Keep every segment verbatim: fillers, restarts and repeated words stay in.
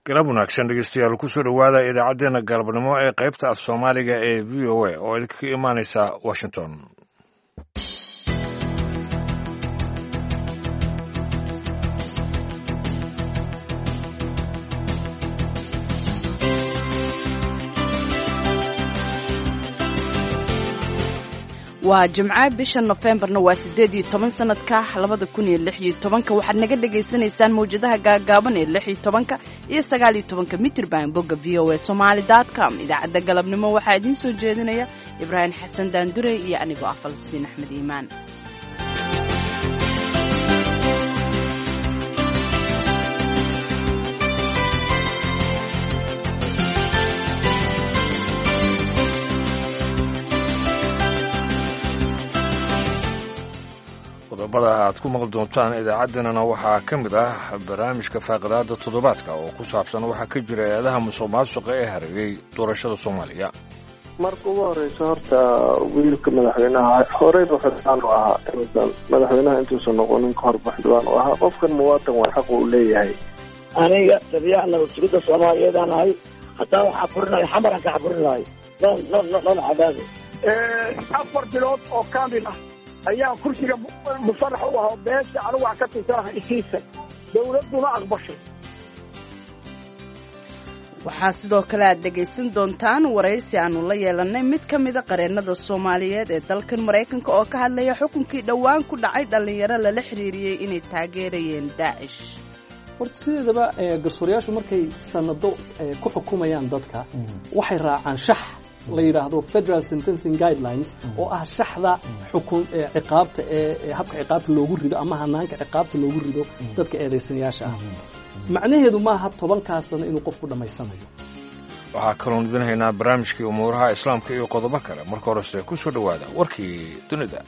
Galab wanaagsan, dhegeystayaal. Kusoo dhowaada idaacaddeenna galabnimo ee qaybta af Soomaaliga ee V O A oo idinkaga imaanaysa Washington. Waa Jimco, bisha Nofembarna waa siddeed iyo toban sanadka labada kun iyo lix iyo tobanka. Waxaad naga dhagaysanaysaan mawjadaha gaagaaban ee lix iyo tobanka iyo sagaal iyo tobanka mitrban, bogga V O A Somali dot com. Idaacadda galabnimo waxaa idiin soo jeedinaya Ibraahim Xasan Daandurey iyo anigoo ah Falastiin Axmed Iimaan. Qodobada aad ku maqli doontaan idaacaddeenana waxaa ka mid ah barnaamijka faaqidaada toddobaadka oo ku saabsan waxaa ka jira eedaha musuq maasuqa ee hareeyey doorashada Soomaaliya. Marka ugu horeysa, horta wiilka madaxweynaha horeyba xildhibaan u ahaa. Inuusan madaxweynaha intuusan noqonin ka horba xildhibaan u ahaa. Qofkan muwaatan waa, xaq uu leeyahay. Aniga taliyaha nabad sugidda Soomaaliyeedaan ahay. Hataa waxaa furinayo Xamaran ka xafurin lahay noon cadaado. Afar bilood oo kaamil ah ayaan kursiga musarax u aho, beesha anigu wax ka tirsanaha isiisa, dawladduna aqbashay. Waxaa sidoo kale aad dhegaysan doontaan waraysi aanu la yeelannay mid ka mida qareennada Soomaaliyeed ee dalkan Maraykanka oo ka hadlaya xukunkii dhowaan ku dhacay dhallinyaro lala xiriiriyey inay taageerayeen Daacish. Horta sideedaba garsoorayaashu markay sanado ku xukumayaan dadka, waxay raacaan shax la yidhaahdo Federal Sentencing Guidelines, oo ah shaxda xukun ciqaabta ee habka ciqaabta loogu rido ama hanaanka ciqaabta loogu rido dadka eedaysanayaasha ah. Macnaheedu maaha tobankaas sano inuu qofku dhammaysanayo. Waxaa kaloon idin haynaa barnaamijkii umuuraha Islaamka iyo qodobo kale. Marka horese ku soo dhowaada warkii dunida.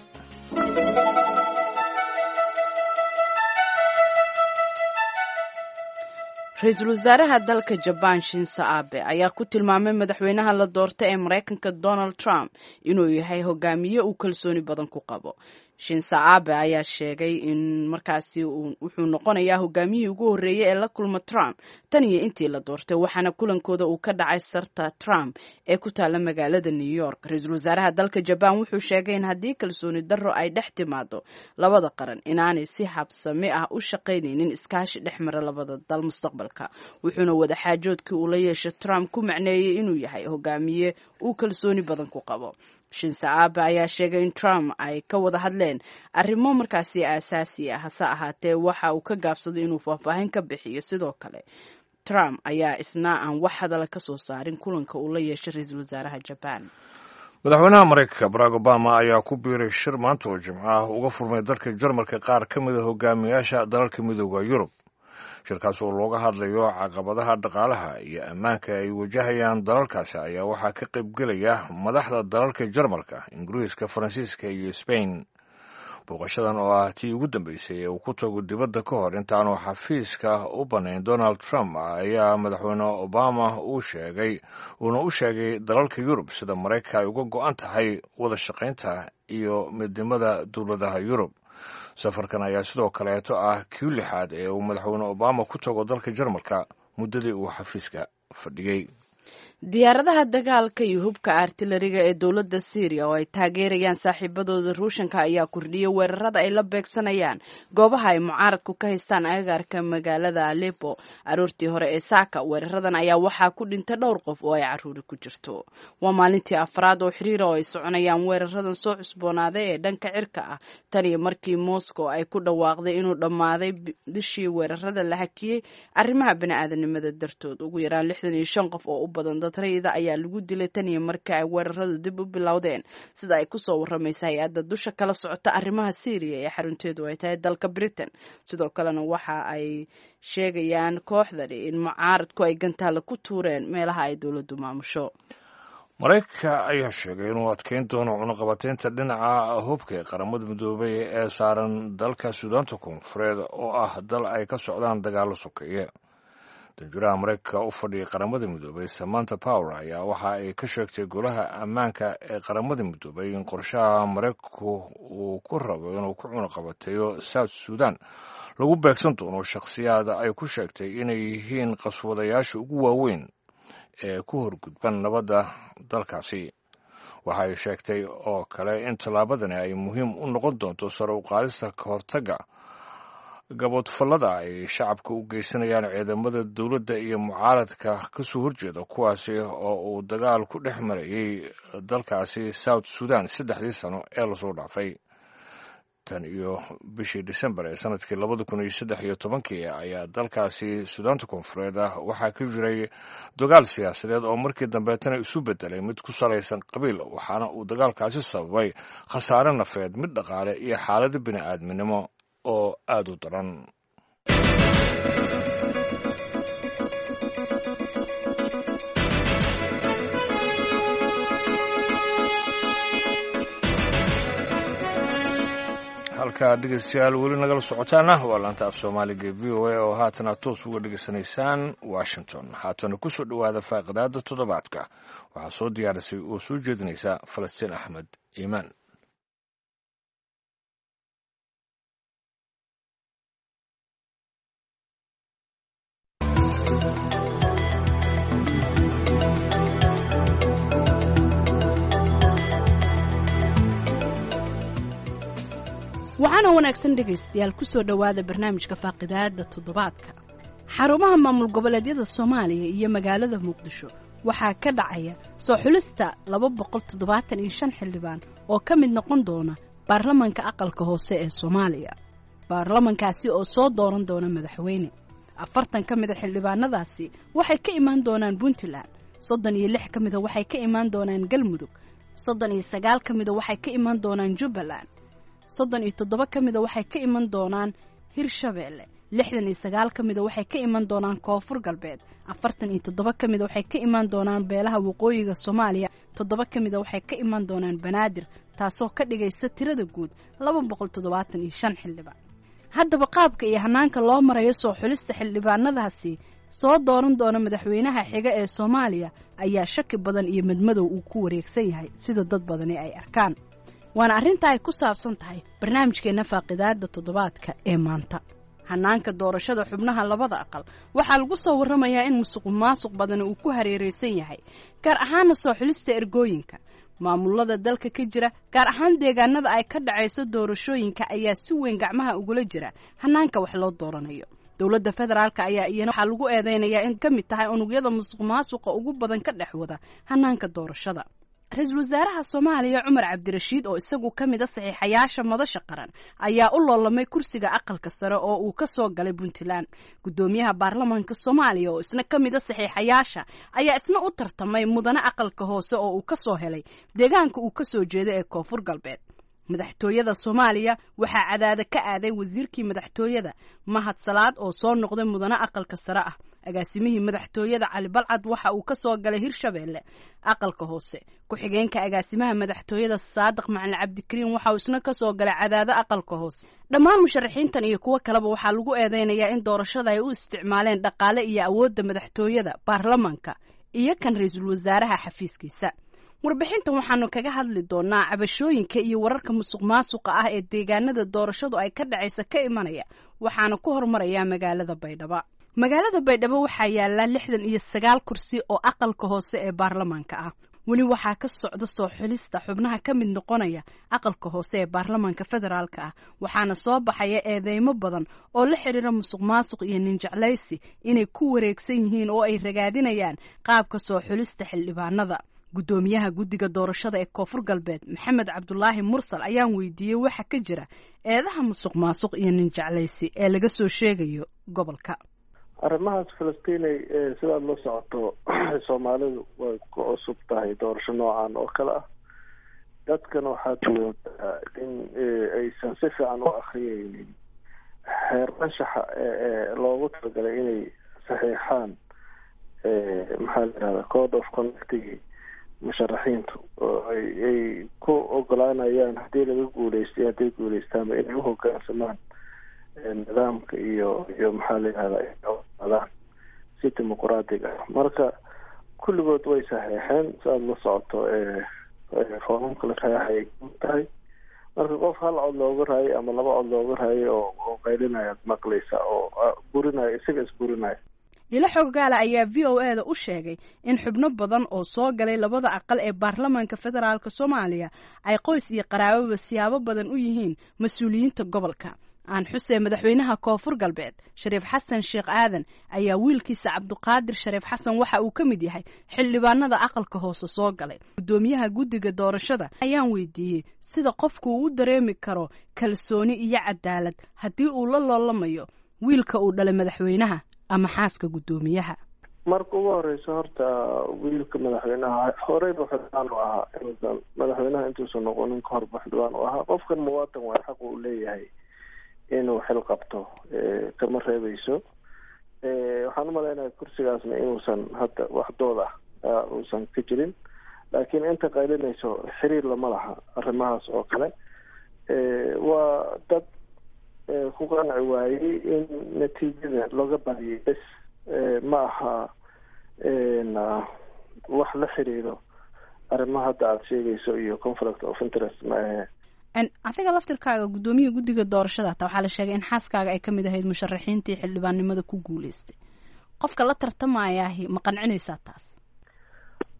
Ra-iisul wasaaraha dalka Jabaan Shinzo Abe ayaa ku tilmaamay madaxweynaha la doortay ee Maraykanka Donald Trump inuu yahay hogaamiye uu kalsooni badan ku qabo. Shinzo Abe ayaa sheegay in markaasi wuxuu noqonayaa hogaamiyihii ugu horreeyey ee la kulma Trump tan iyo intii la doortay, waxaana kulankooda uu ka dhacay sarta Trump ee ku taalla magaalada New York. Ra-iisul wasaaraha dalka Jabaan wuxuu sheegay in haddii kalsooni darro ay dhex timaado labada qaran, inaanay si habsami ah u shaqaynaynin iskaashi dhex mara labada dal mustaqbalka, wuxuuna wadaxaajoodkii uu la yeeshay Trump ku macneeyey inuu yahay hogaamiye uu kalsooni badan ku qabo. Shinzo Abe ayaa sheegay in Trump ay ka wada hadleen arrimo markaasi aasaasi ah, hase ahaatee waxa uu ka gaabsaday inuu faahfaahin ka bixiyo. Sidoo kale Trump ayaa isna aan wax hadala ka soo saarin kulanka uu la yeeshay ra-iisul wasaaraha Jabaan. Madaxweynaha Maraykanka Barack Obama ayaa ku biiray shir maanta oo Jimco ah uga furmay dalka Jarmalka qaar ka mida hogaamiyaasha dalalka Midooda Yurub, shirkaas oo looga hadlayo caqabadaha dhaqaalaha iyo ammaanka ay wajahayaan dalalkaasi. Ayaa waxaa ka qaybgelaya madaxda dalalka Jarmalka, Ingiriiska, Faransiiska iyo Sbain. Booqashadan oo ah tii ugu dambeysay ee uu ku tago dibadda ka hor intaanu xafiiska u bannayn Donald Trump, ayaa madaxweyne Obama uu sheegay uuna u sheegay dalalka Yurub sida Maraykanka ay uga go'an tahay wada shaqaynta iyo midnimada dowladaha Yurub. Safarkan ayaa sidoo kaleeto ah kii lixaad ee uu madaxweyne Obama ku tago dalka Jarmalka muddadii uu xafiiska fadhiyey. Diyaaradaha dagaalka iyo hubka artilariga ee dowladda Syriya oo ay taageerayaan saaxiibadooda Ruushanka ayaa kordhiyay weerarada ay la beegsanayaan goobaha ay mucaaradku ka haystaan agagaarka magaalada Aleppo aroortii hore ee saaka. Weeraradan ayaa waxaa ku dhintay dhowr qof oo ay caruuri ku jirto. Waa maalintii afraad oo xiriira oo ay soconayaan weeraradan soo cusboonaaday ee dhanka cirka ah tan iyo markii Moscow ay ku dhawaaqday inuu dhammaaday bishii weerarada la hakiyey arrimaha bani'aadanimada dartood. Ugu yaraan lixdan iyo shan qof oo u badan dad rayida ayaa lagu dilay tan iyo markii ay weeraradu dib u bilowdeen, sida ay kusoo waramaysa hay-adda dusha kala socota arrimaha Syriya ee xarunteedu ay tahay dalka Britain. Sidoo kalena waxa ay sheegayaan kooxdani in mucaaradku ay gantaale ku tuureen meelaha ay dowladdu maamusho. Maraykanka ayaa sheegay inuu adkeyn doono cunuqabateynta dhinaca hubka ee Qaramada Midoobay ee saaran dalka Suudaanta Koonfureed, oo ah dal ay ka socdaan dagaallo sokeeye. Danjiraha Maraykanka u fadhiyay Qaramada Midoobay, Samanta Power, ayaa waxa ay ka sheegtay Golaha Ammaanka ee Qaramada Midoobay in qorshaha Maraykanku uu ku rabo inuu ku cunaqabateeyo South Sudan lagu beegsan doono shakhsiyaad ay ku sheegtay inay yihiin qaswadayaasha ugu waaweyn ee ku horgudban nabadda dalkaasi. Waxa ay sheegtay oo kale in tallaabadani ay muhiim u noqon doonto sare u qaadista ka hortagga gaboodfallada ay shacabka u geysanayaan ciidamada dowladda iyo mucaaradka kasoo horjeeda, kuwaasi oo uu dagaal ku dhex marayay dalkaasi South Sudan saddexdii sano ee lasoo dhaafay. Tan iyo bishii Disembar ee sanadkii labada kun iyo saddex iyo tobankii ayaa dalkaasi Suudaanta Koonfureed ah waxaa ka jiray dagaal siyaasadeed oo markii dambeetana isu bedelay mid ku salaysan qabiil, waxaana uu dagaalkaasi sababay khasaare nafeed, mid dhaqaale iyo xaalado bini aadminimo oo aada u daran. Halkaa dhegeystayaal weli nagala socotaana waa laanta af Soomaaliga V O A oo haatana toos uga dhegeysanaysaan Washington. Haatana kusoo dhowaada faaqidaada toddobaadka. Waxaa soo diyaarisay oo soo jeedinaysa Falastiin Axmed Iimaan. Waxaana wanaagsan dhegaystayaal, kusoo dhowaada barnaamijka faaqidaada toddobaadka. Xarumaha maamul goboleedyada Soomaaliya iyo magaalada Muqdisho waxaa ka dhacaya soo xulista laba boqol toddobaatan iyo shan xildhibaan oo ka mid noqon doona baarlamanka aqalka hoose ee Soomaaliya, baarlamankaasi oo soo dooran doona madaxweyne. Afartan ka mida xildhibaanadaasi waxay ka imaan doonaan Puntland, soddon iyo lix ka mida waxay ka imaan doonaan Galmudug, soddon iyo sagaal ka mida waxay ka imaan doonaan Jubbaland, soddon iyo toddoba ka mida waxay ka iman doonaan Hirshabeelle, lixdan iyo sagaal ka mida waxay ka iman doonaan Koonfur Galbeed, afartan iyo toddoba ka mida waxay ka iman doonaan beelaha waqooyiga Soomaaliya, toddoba ka mida waxay ka iman doonaan Banaadir, taasoo ka dhigaysa tirada guud laba boqol toddobaatan iyo shan xildhibaan. Haddaba qaabka iyo hanaanka loo marayo soo xulista xildhibaanadaasi soo dooran doona madaxweynaha xiga ee Soomaaliya ayaa shaki badan iyo madmadow uu ku wareegsan yahay, sida dad badani ay arkaan. Waana arrinta ay ku saabsan tahay barnaamijkeenna faaqidaada toddobaadka ee maanta. Hanaanka doorashada xubnaha labada aqal waxaa lagu soo warramayaa in musuqu maasuq badani uu ku hareeraysan yahay, gaar ahaana soo xulista ergooyinka. Maamulada dalka ka jira, gaar ahaan deegaanada ay ka dhacayso doorashooyinka, ayaa si weyn gacmaha ugula jira hanaanka wax loo dooranayo. Dowladda federaalka ayaa iyana waxaa lagu eedeynayaa in ka mid tahay unugyada musuq maasuqa ugu badan ka dhex wada hanaanka doorashada. Ra-iisul wasaaraha Soomaaliya Cumar Cabdirashiid, oo isagu ka mid a saxiixayaasha Madasha Qaran, ayaa u loolamay kursiga aqalka sare oo uu ka soo galay Puntland. Guddoomiyaha baarlamaanka Soomaaliya, oo isna ka mid a saxiixayaasha, ayaa isna u tartamay mudane aqalka hoose oo uu ka soo helay deegaanka uu ka soo jeeda ee Koonfur Galbeed. Madaxtooyada Soomaaliya waxaa cadaada ka aaday wasiirkii madaxtooyada Mahad Salaad oo soo noqday mudane aqalka sare ah. Agaasimihii madaxtooyada Cali Balcad waxa uu ka soo galay Hirshabeelle aqalka hoose. Ku-xigeenka agaasimaha madaxtooyada Saadiq Macalin Cabdikariin waxa uu isna ka soo galay Cadaado aqalka hoose. Dhammaan musharaxiintan iyo kuwo kaleba waxaa lagu eedeynayaa in doorashada ay u isticmaaleen dhaqaale iyo awoodda madaxtooyada, baarlamanka iyo kan ra-iisul wasaaraha xafiiskiisa. Warbixintan waxaanu kaga hadli doonaa cabashooyinka iyo wararka musuq maasuqa ah ee deegaanada doorashadu ay ka dhacaysa ka imanaya, waxaana ku hormarayaa magaalada Baydhabo. Magaalada Baydhabo waxaa yaala lixdan iyo sagaal kursi oo aqalka hoose ee baarlamaanka ah. Weli waxaa ka socda soo xulista xubnaha ka mid noqonaya aqalka hoose ee baarlamaanka federaalka ah, waxaana soo baxaya eedeymo badan oo la xiriira musuq maasuq iyo ninjeclaysi inay ku wareegsan yihiin oo ay ragaadinayaan qaabka soo xulista xildhibaanada. Guddoomiyaha guddiga doorashada ee Koonfur Galbeed Maxamed Cabdulaahi Mursal ayaan weydiiyey waxa ka jira eedaha musuq maasuq iyo ninjeclaysi ee laga soo sheegayo gobolka. Arrimahaas, Falastiinay, sidaad la socoto Soomaalidu way ku cusub tahay doorasho noocan oo kale ah. Dadkana waxaad moodaa in aysan si fiican u akriyeynin xeer anshaxa ee loogu talagalay inay saxiixaan, maxaa la yihahda, code of conductigi musharaxiintu oo ay ay ku ogolaanayaan haddii laga guuleystay, hadday guuleystaanba, inay uhogaansamaan nidaamka iyo iyo maxaa la yihahda adaan si si dimuqraadiga ah. Marka kulligood way saxeexeen, si aada la socoto foomamka la saxeexay ay tahay. Marka qof hal cod looga raayay ama laba cod looga raayay oo oo qaylinaya ad maqlaysa oo burinaya, isaga isburinaya. Ilo xoggaala ayaa V O E da u sheegay in xubno badan oo soo galay labada aqal ee baarlamaanka federaalka Soomaaliya ay qoys iyo qaraababa siyaabo badan u yihiin mas-uuliyiinta gobolka. Aan xusee madaxweynaha Koonfur Galbeed Shariif Xasan Sheekh Aadan ayaa wiilkiisa Cabduqaadir Shariif Xasan waxa uu ka mid yahay xildhibaanada aqalka hoose soo galay. Guddoomiyaha guddiga doorashada ayaan weydiiyey sida qofku uu u dareemi karo kalsooni iyo cadaalad haddii uu la loolamayo wiilka uu dhalay madaxweynaha ama xaaska guddoomiyaha. Marka ugu horeysa horta wiilka madaxweynaha horeyba xildhibaan u ahaa, inuusan madaxweynaha intuusan noqonin ka horba xildhibaan u ahaa. Qofkan muwaatan waay, xaq uu leeyahay inuu xil qabto, kama reebeyso. Waxaan umalaynaya kursigaasna inuusan hadda wax dood ah uusan ka jirin, laakiin inta qaylinayso xiriir lama laha arrimahaas oo kale. Waa dad ku qanci waayey in natiijada looga badiyay bes, ma aha wax la xiriiro arrimaha hadda aada sheegayso iyo conflict of interest ma ahe. Adiga laftirkaaga guddoomiyaha guddiga doorashada hataa waxaa la sheegay in xaaskaaga ay kamid ahayd musharaxiintii xildhibaannimada ku guuleystay. Qofka la tartamayaahi ma qancinaysaa taas?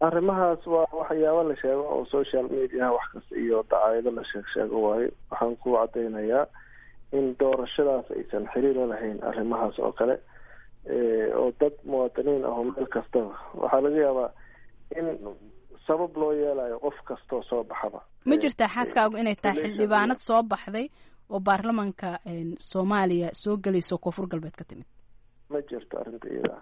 Arrimahaas waa waxyaabo la sheego oo social mediaha wax kasta iyo dacaayado la sheeg sheego waayo. Waxaan ku cadaynayaa in doorashadaas aysan xiriir la lahayn arrimahaas oo kale, oo dad muwaadiniin ah oo meel kastaba waxaa laga yaabaa in sabab loo yeelayo qof kastoo soo baxaba. Ma jirtaa xaaskaagu inay tahay xildhibaanad soo baxday oo baarlamanka Soomaaliya soo gelayso Koonfur Galbeed ka timid? Ma jirto arrinta iyada.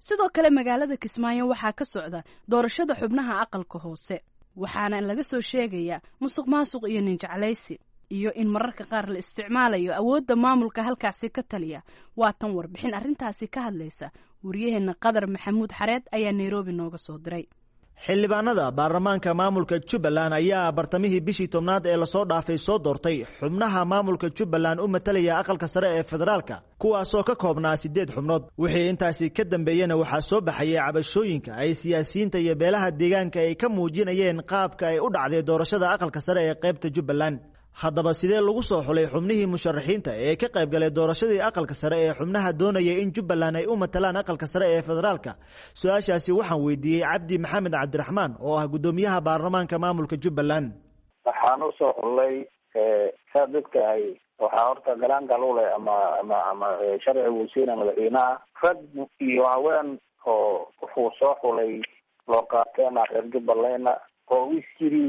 Sidoo kale magaalada Kismaayo waxaa ka socda doorashada xubnaha aqalka hoose, waxaana laga soo sheegayaa musuq maasuq iyo ninjeclaysi iyo in mararka qaar la isticmaalayo awoodda maamulka halkaasi ka taliya. Waa tan warbixin arrintaasi ka hadlaysa. Waryaheena Qadar Maxamuud Xareed ayaa Nairobi nooga soo diray. Xildhibaanada baarlamaanka maamulka Jubbaland ayaa bartamihii bishii tobnaad ee lasoo dhaafay soo doortay xubnaha maamulka Jubbaland u matalaya aqalka sare ee federaalka, kuwaasoo ka koobnaa siddeed xubnood. Wixii intaasi ka dambeeyena waxaa soo baxayay cabashooyinka ay siyaasiyiinta iyo beelaha deegaanka ay ka muujinayeen qaabka ay u dhacday doorashada aqalka sare ee qaybta Jubbaland. Haddaba sidee lagu soo xulay xubnihii musharaxiinta ee ka qayb galay doorashadii aqalka sare ee xubnaha doonaya in Jubbaland ay u matalaan aqalka sare ee federaalka? Su-aashaasi waxaan weydiiyey Cabdi Maxamed Cabdiraxmaan oo ah guddoomiyaha baarlamaanka maamulka Jubbaland. Waxaan usoo xulay, saad ogtahay, waxaa horta galaangal u leh ama ama ama sharcigu siina madaxweynaha rag iyo haween oo wuxuu soo xulay loo qaateena reer Jubbalandna oo is yiri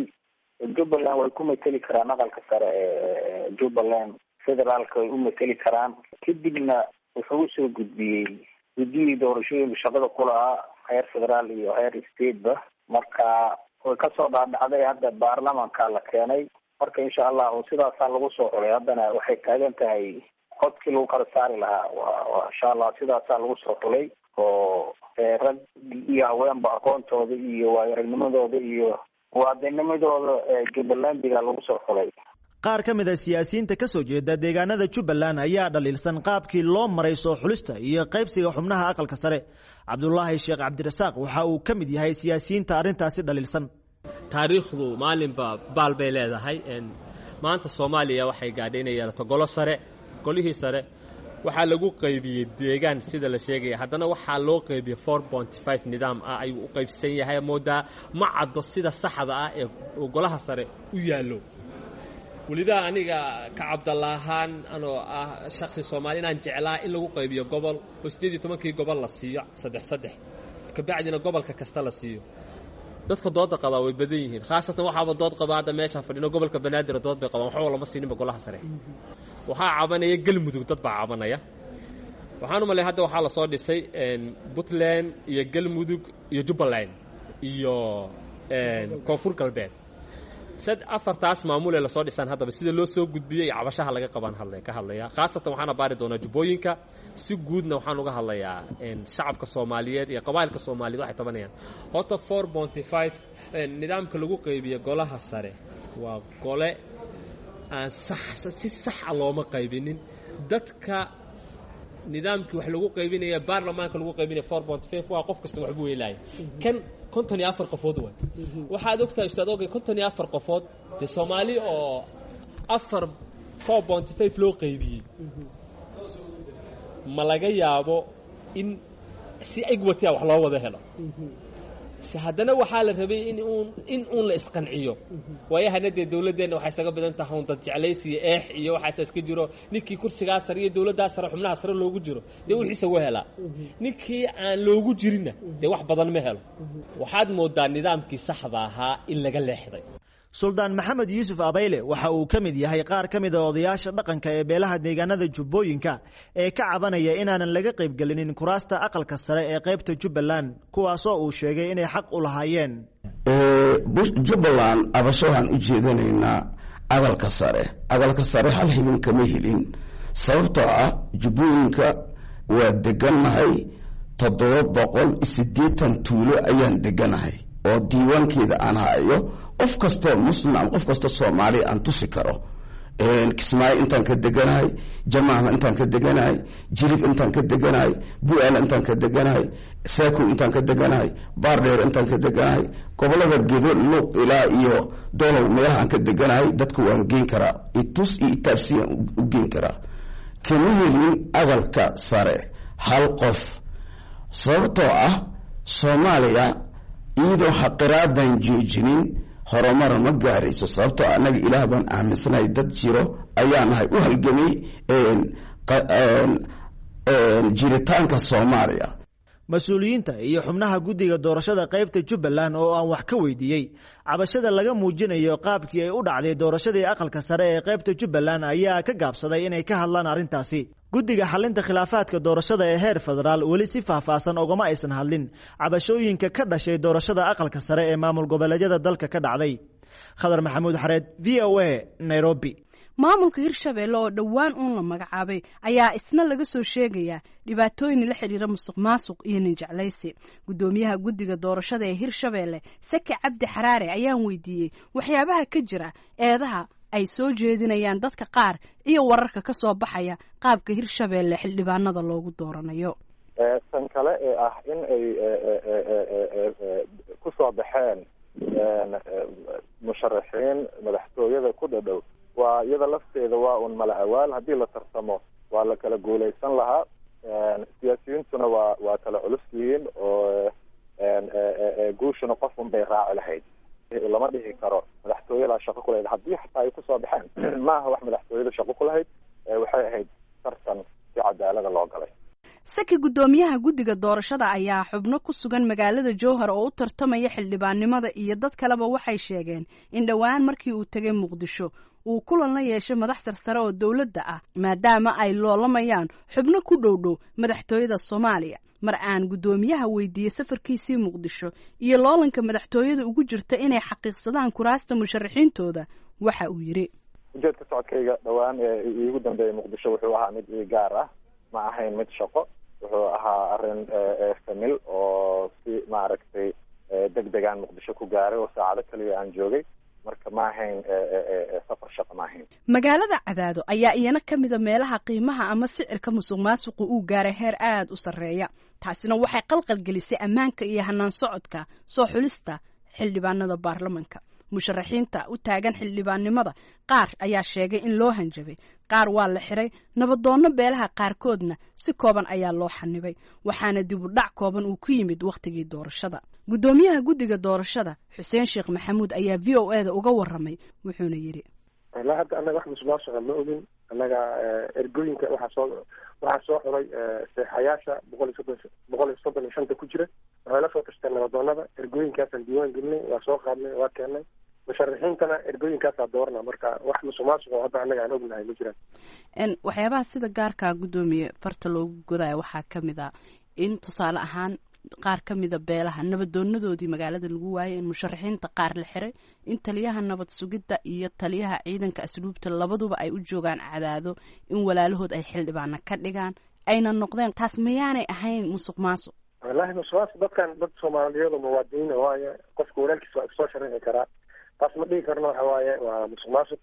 Jubbaland way ku mateli karaan aqalka sare ee Jubbaland federaalka way u mateli karaan. Kadibna wuxuu usoo gudbiyey guddiyii doorashooyinka shaqada ku lahaa heer federaal iyo heer stateba. Marka way kasoo dhaadhacday, hadda baarlamanka la keenay. Marka insha allahu sidaasaa lagu soo xulay. Haddana waxay taagan tahay codkii lagu kala saari lahaa, wa insha allah sidaasaa lagu soo xulay oo rag iyo haweenba aqoontooda iyo waayo aragnimadooda iyo muwaadinimadooda Jubbalandiga lagu soo xulay. Qaar ka mid a siyaasiyiinta ka soo jeeda deegaanada Jubbaland ayaa dhaliilsan qaabkii loo maray soo xulista iyo qaybsiga xubnaha aqalka sare. Cabdulaahi Sheekh Cabdirasaaq waxa uu ka mid yahay siyaasiyiinta arrintaasi dhaliilsan. Taariikhdu maalinba baal bay leedahay. Maanta Soomaaliya waxay gaadhay inay yeelato golo sare. Golihii sare waxaa lagu qaybiyey deegaan sida la sheegaya, haddana waxaa loo qaybiyey four point five nidaam ah ayuu u qaybsan yahay. Moodaa ma caddo sida saxda ah ee golaha sare u yaallo. Welidaa aniga ka Cabdallaahaan anoo ah shakhsi Soomaali inaan jeclaa in lagu qaybiyo gobol oo siddeed iyo tobankii gobol la siiyo saddex saddex, kabacdina gobolka kasta la siiyo. Dadka dooda qabaa way badan yihiin, khaasatan waxaaba dood qabaa hadda meeshaan fadhino gobolka Banaadir dood bay qabaan, waxba lama siininba golaha sare. Waxaa cabanaya Galmudug, dad baa cabanaya. Waxaan u malay hadda waxaa lasoo dhisay Puntland iyo Galmudug iyo Jubbaland iyo Koonfur Galbeed. Sad afartaas maamulee lasoo dhisaan haddaba sida loo soo gudbiyey iyo cabashaha laga qabaan hadlay ka hadlaya. Khaasatan waxaana baari doonaa jubbooyinka, si guudna waxaan uga hadlayaa shacabka Soomaaliyeed iyo qabaa'ilka Soomaaliyeed waxay tabanayaan. Horta four point five nidaamka lagu qaybiyo golaha sare waa gole aan sax si sax ah looma qaybinin. Dadka Nidaamkii wax lagu qaybinaya baarlamaanka lagu qaybinaya four point five waa qof kasta waxbuu helaaya. Kan konton iyo afar qofood waay. Waxaad ogtahay, ustaad Ogey, konton iyo afar qofood dee Soomaali oo afar four point five loo qaybiyey, ma laga yaabo in si egwatiya wax loo wada helo? Se haddana waxaa la rabay in uun in uun la isqanciyo. Waayahana dee dowladdeenna waxay isaga badan tahay un dad jeclaysi iyo eex iyo waxaasa iska jiro. Ninkii kursigaa sare iyo dowladdaa sare, xubnaha sare loogu jiro, dee wixiisa u helaa. Ninkii aan loogu jirinna dee wax badan ma helo. Waxaad moodaa nidaamkii saxda ahaa in laga leexday. Suldaan Maxamed Yuusuf Abayle waxa uu ka mid yahay qaar ka mid a odayaasha dhaqanka ee beelaha deegaanada Jubbooyinka ee ka cabanaya inaanan laga qaybgelinin kuraasta aqalka sare ee qaybta Jubbaland, kuwaasoo uu sheegay inay xaq u lahaayeen. Jubbaland abasho waxaan u jeedanaynaa aqalka sare. Aqalka sare hal xibin kama helin, sababtoo ah Jubbooyinka waa degannahay, toddoba boqol siddeetan tuulo ayaan deganahay oo diiwaankeeda aan hayo. Qof kastoo Muslim ama qof kastoo Soomaaliya aan tusi karo. Kismaayo intaan ka deganahay, Jamaama intaan ka deganahay, Jilib intaan ka deganahay, Bu-aal intaan ka deganahay, Saakow intaan ka deganahay, Baardheer intaan ka deganahay, gobolada Gedo, Luuq ilaa iyo Dolow meelaha aan ka deganahay dadku waan geen karaa, itus iyo itaabsiyaan u geen karaa. Kama helin aqalka sare hal qof, sababtoo ah Soomaaliya iyadoo xaqiraadan joojinin horumar ma gaarayso, sababtoo annaga Ilaah baan aaminsanahay, dad jiro ayaa nahay u halgamay jiritaanka Soomaaliya. Mas-uuliyiinta iyo xubnaha guddiga doorashada qaybta Jubbaland oo aan wax ka weydiiyey cabashada laga muujinayo qaabkii ay u dhacday doorashadii aqalka sare ee qaybta Jubbaland ayaa ka gaabsaday inay ka hadlaan arrintaasi. Guddiga xalinta khilaafaadka doorashada ee heer federaal weli si faahfaahsan ogama aysan hadlin cabashooyinka ka dhashay doorashada aqalka sare ee maamul goboleedyada dalka ka dhacday. Khadar Maxamuud Xareed, V O A, Nairobi. Maamulka Hirshabeelle oo dhowaan uun la magacaabay ayaa isna laga soo sheegayaa dhibaatooyin la xidhiira musuq maasuq iyo ninjeclaysi. Guddoomiyaha guddiga doorashada ee Hirshabeelle, Saki Cabdi Xaraare, ayaan weydiiyey waxyaabaha ka jira eedaha ay soo jeedinayaan dadka qaar iyo wararka ka soo baxaya qaabka Hirshabeelle xildhibaanada loogu dooranayo. Tan kale ee ah in ay ku soo baxeen musharaxiin madaxtooyada ku dhadhow, waa iyada lafteeda waa un mala awaal. Haddii la tartamo waa la kala guulaysan lahaa, siyaasiyiintuna waa waa kala culus yihiin oo guushuna qof un bay raaci lahayd. Lama dhihi karo madaxtooyadaa shaqo ku lahayd. Haddii xataa ay kusoo baxeen, maaha wax madaxtooyada shaqo ku lahayd, waxay ahayd tartan si cadaalada loo galay. Saki, guddoomiyaha guddiga doorashada ayaa xubno ku sugan magaalada Jowhar oo u tartamaya xildhibaannimada iyo dad kaleba waxay sheegeen in dhowaan markii uu tegay Muqdisho uu kulan la yeeshay madax sarsare oo dowladda ah, maadaama ay loolamayaan xubno ku dhow dhow madaxtooyada Soomaaliya. Mar aan guddoomiyaha weydiiyey safarkiisii Muqdisho iyo loolanka madaxtooyada ugu jirta inay xaqiiqsadaan kuraasta musharaxiintooda, waxa uu yidhi: Ujeedka socodkayga dhowaan ee iigu dambeeyay Muqdisho wuxuu ahaa mid ii gaar ah, ma ahayn mid shaqo. Wuxuu ahaa arrin famil oo si maaragtay deg degaan Muqdisho ku gaaray oo saacado kaliya aan joogay. Marka ma ahayn safar shaqo, ma ahayn. Magaalada Cadaado ayaa iyana ka mida meelaha qiimaha ama sicirka musuq maasuqu uu gaaray heer aada u sarreeya. Taasina waxay qalqal gelisay ammaanka iyo hanaan socodka soo xulista xildhibaanada baarlamanka. Musharaxiinta u taagan xildhibaannimada qaar ayaa sheegay in loo hanjabay, qaar waa la xiray, nabadoonno beelaha qaarkoodna si kooban ayaa loo xanibay, waxaana dib u dhac kooban uu ku yimid wakhtigii doorashada. Guddoomiyaha guddiga doorashada, Xuseen Sheekh Maxamuud, ayaa V O A da uga waramay, wuxuuna yidhi: Ilaa hadda annaga wax musuqmaasuqa ma ogin. Annaga ergooyinka waxaa soo waxaa soo xulay seexayaasha boqol iyo soddon boqol iyo soddon iyo shanta ku jira. Waxay la soo tashteen nabadoonada. Ergooyinkaasaan diiwaan gelinay, waa soo qaadnay, waa keennay. Musharaxiintana ergooyinkaasaa doorana. Marka wax musuqmaasuq oo hadda annaga aan ognahay ma jiraan. Waxyaabaha sida gaarkaa, guddoomiye, farta loogu godayo waxaa ka mid ah in tusaale ahaan qaar ka mida beelaha nabadoonadoodii magaalada lagu waayay, in musharaxiinta qaar la xiray, in taliyaha nabad sugidda iyo taliyaha ciidanka asluubta labaduba ay u joogaan Cadaado in walaalahood ay xildhibaana ka dhigaan ayna noqdeen. Taas mayaanay ahayn musuq maasuq? Wallaahi musuqmaasuq, dadkan dad Soomaaliyeed oo muwaadiniin waaye. Qofka walaalkiis waa isoo sharaxi karaa, taas ma dhigi karno waxa waaye waa musuq maasuq.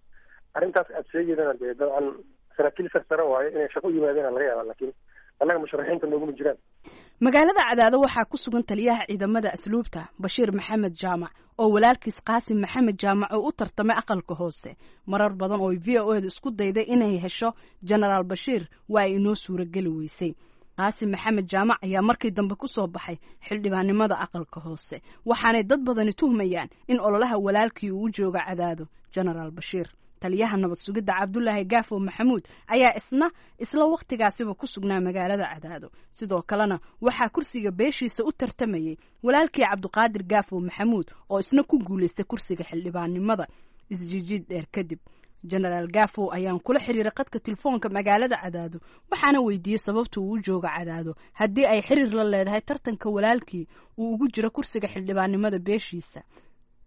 Arrintaas aad sheegeydana dee dabcan saraakiil sarsare waaye, inay shaqo u yimaadeen laga yaaba, laakiin Annaga musharaxiinta nooguma jiraan. Magaalada Cadaado waxaa ku sugan taliyaha ciidamada asluubta Bashiir Maxamed Jaamac oo walaalkiis Qaasim Maxamed Jaamac oo u tartamay aqalka hoose. Marar badan oo V O eda isku dayday inay hesho Jenaraal Bashiir waa ay inoo suurageli weysay. Qaasim Maxamed Jaamac ayaa markii dambe ku soo baxay xildhibaannimada aqalka hoose, waxaanay dad badani tuhmayaan in ololaha walaalkii uu u jooga Cadaado Jenaraal Bashiir. Taliyaha nabad sugidda Cabdulaahi Gaafo Maxamuud ayaa isna isla wakhtigaasiba ku sugnaa magaalada Cadaado. Sidoo kalena waxaa kursiga beeshiisa u tartamayay walaalkii Cabdiqaadir Gaafo Maxamuud oo isna ku guulaystay kursiga xildhibaannimada isjijiid dheer kadib. Jenaraal Gafow ayaan kula xiriiray qadka telefoonka magaalada Cadaado, waxaana weydiiyey sababta uu u jooga Cadaado haddii ay xiriir la leedahay tartanka walaalkii uu ugu jiro kursiga xildhibaannimada beeshiisa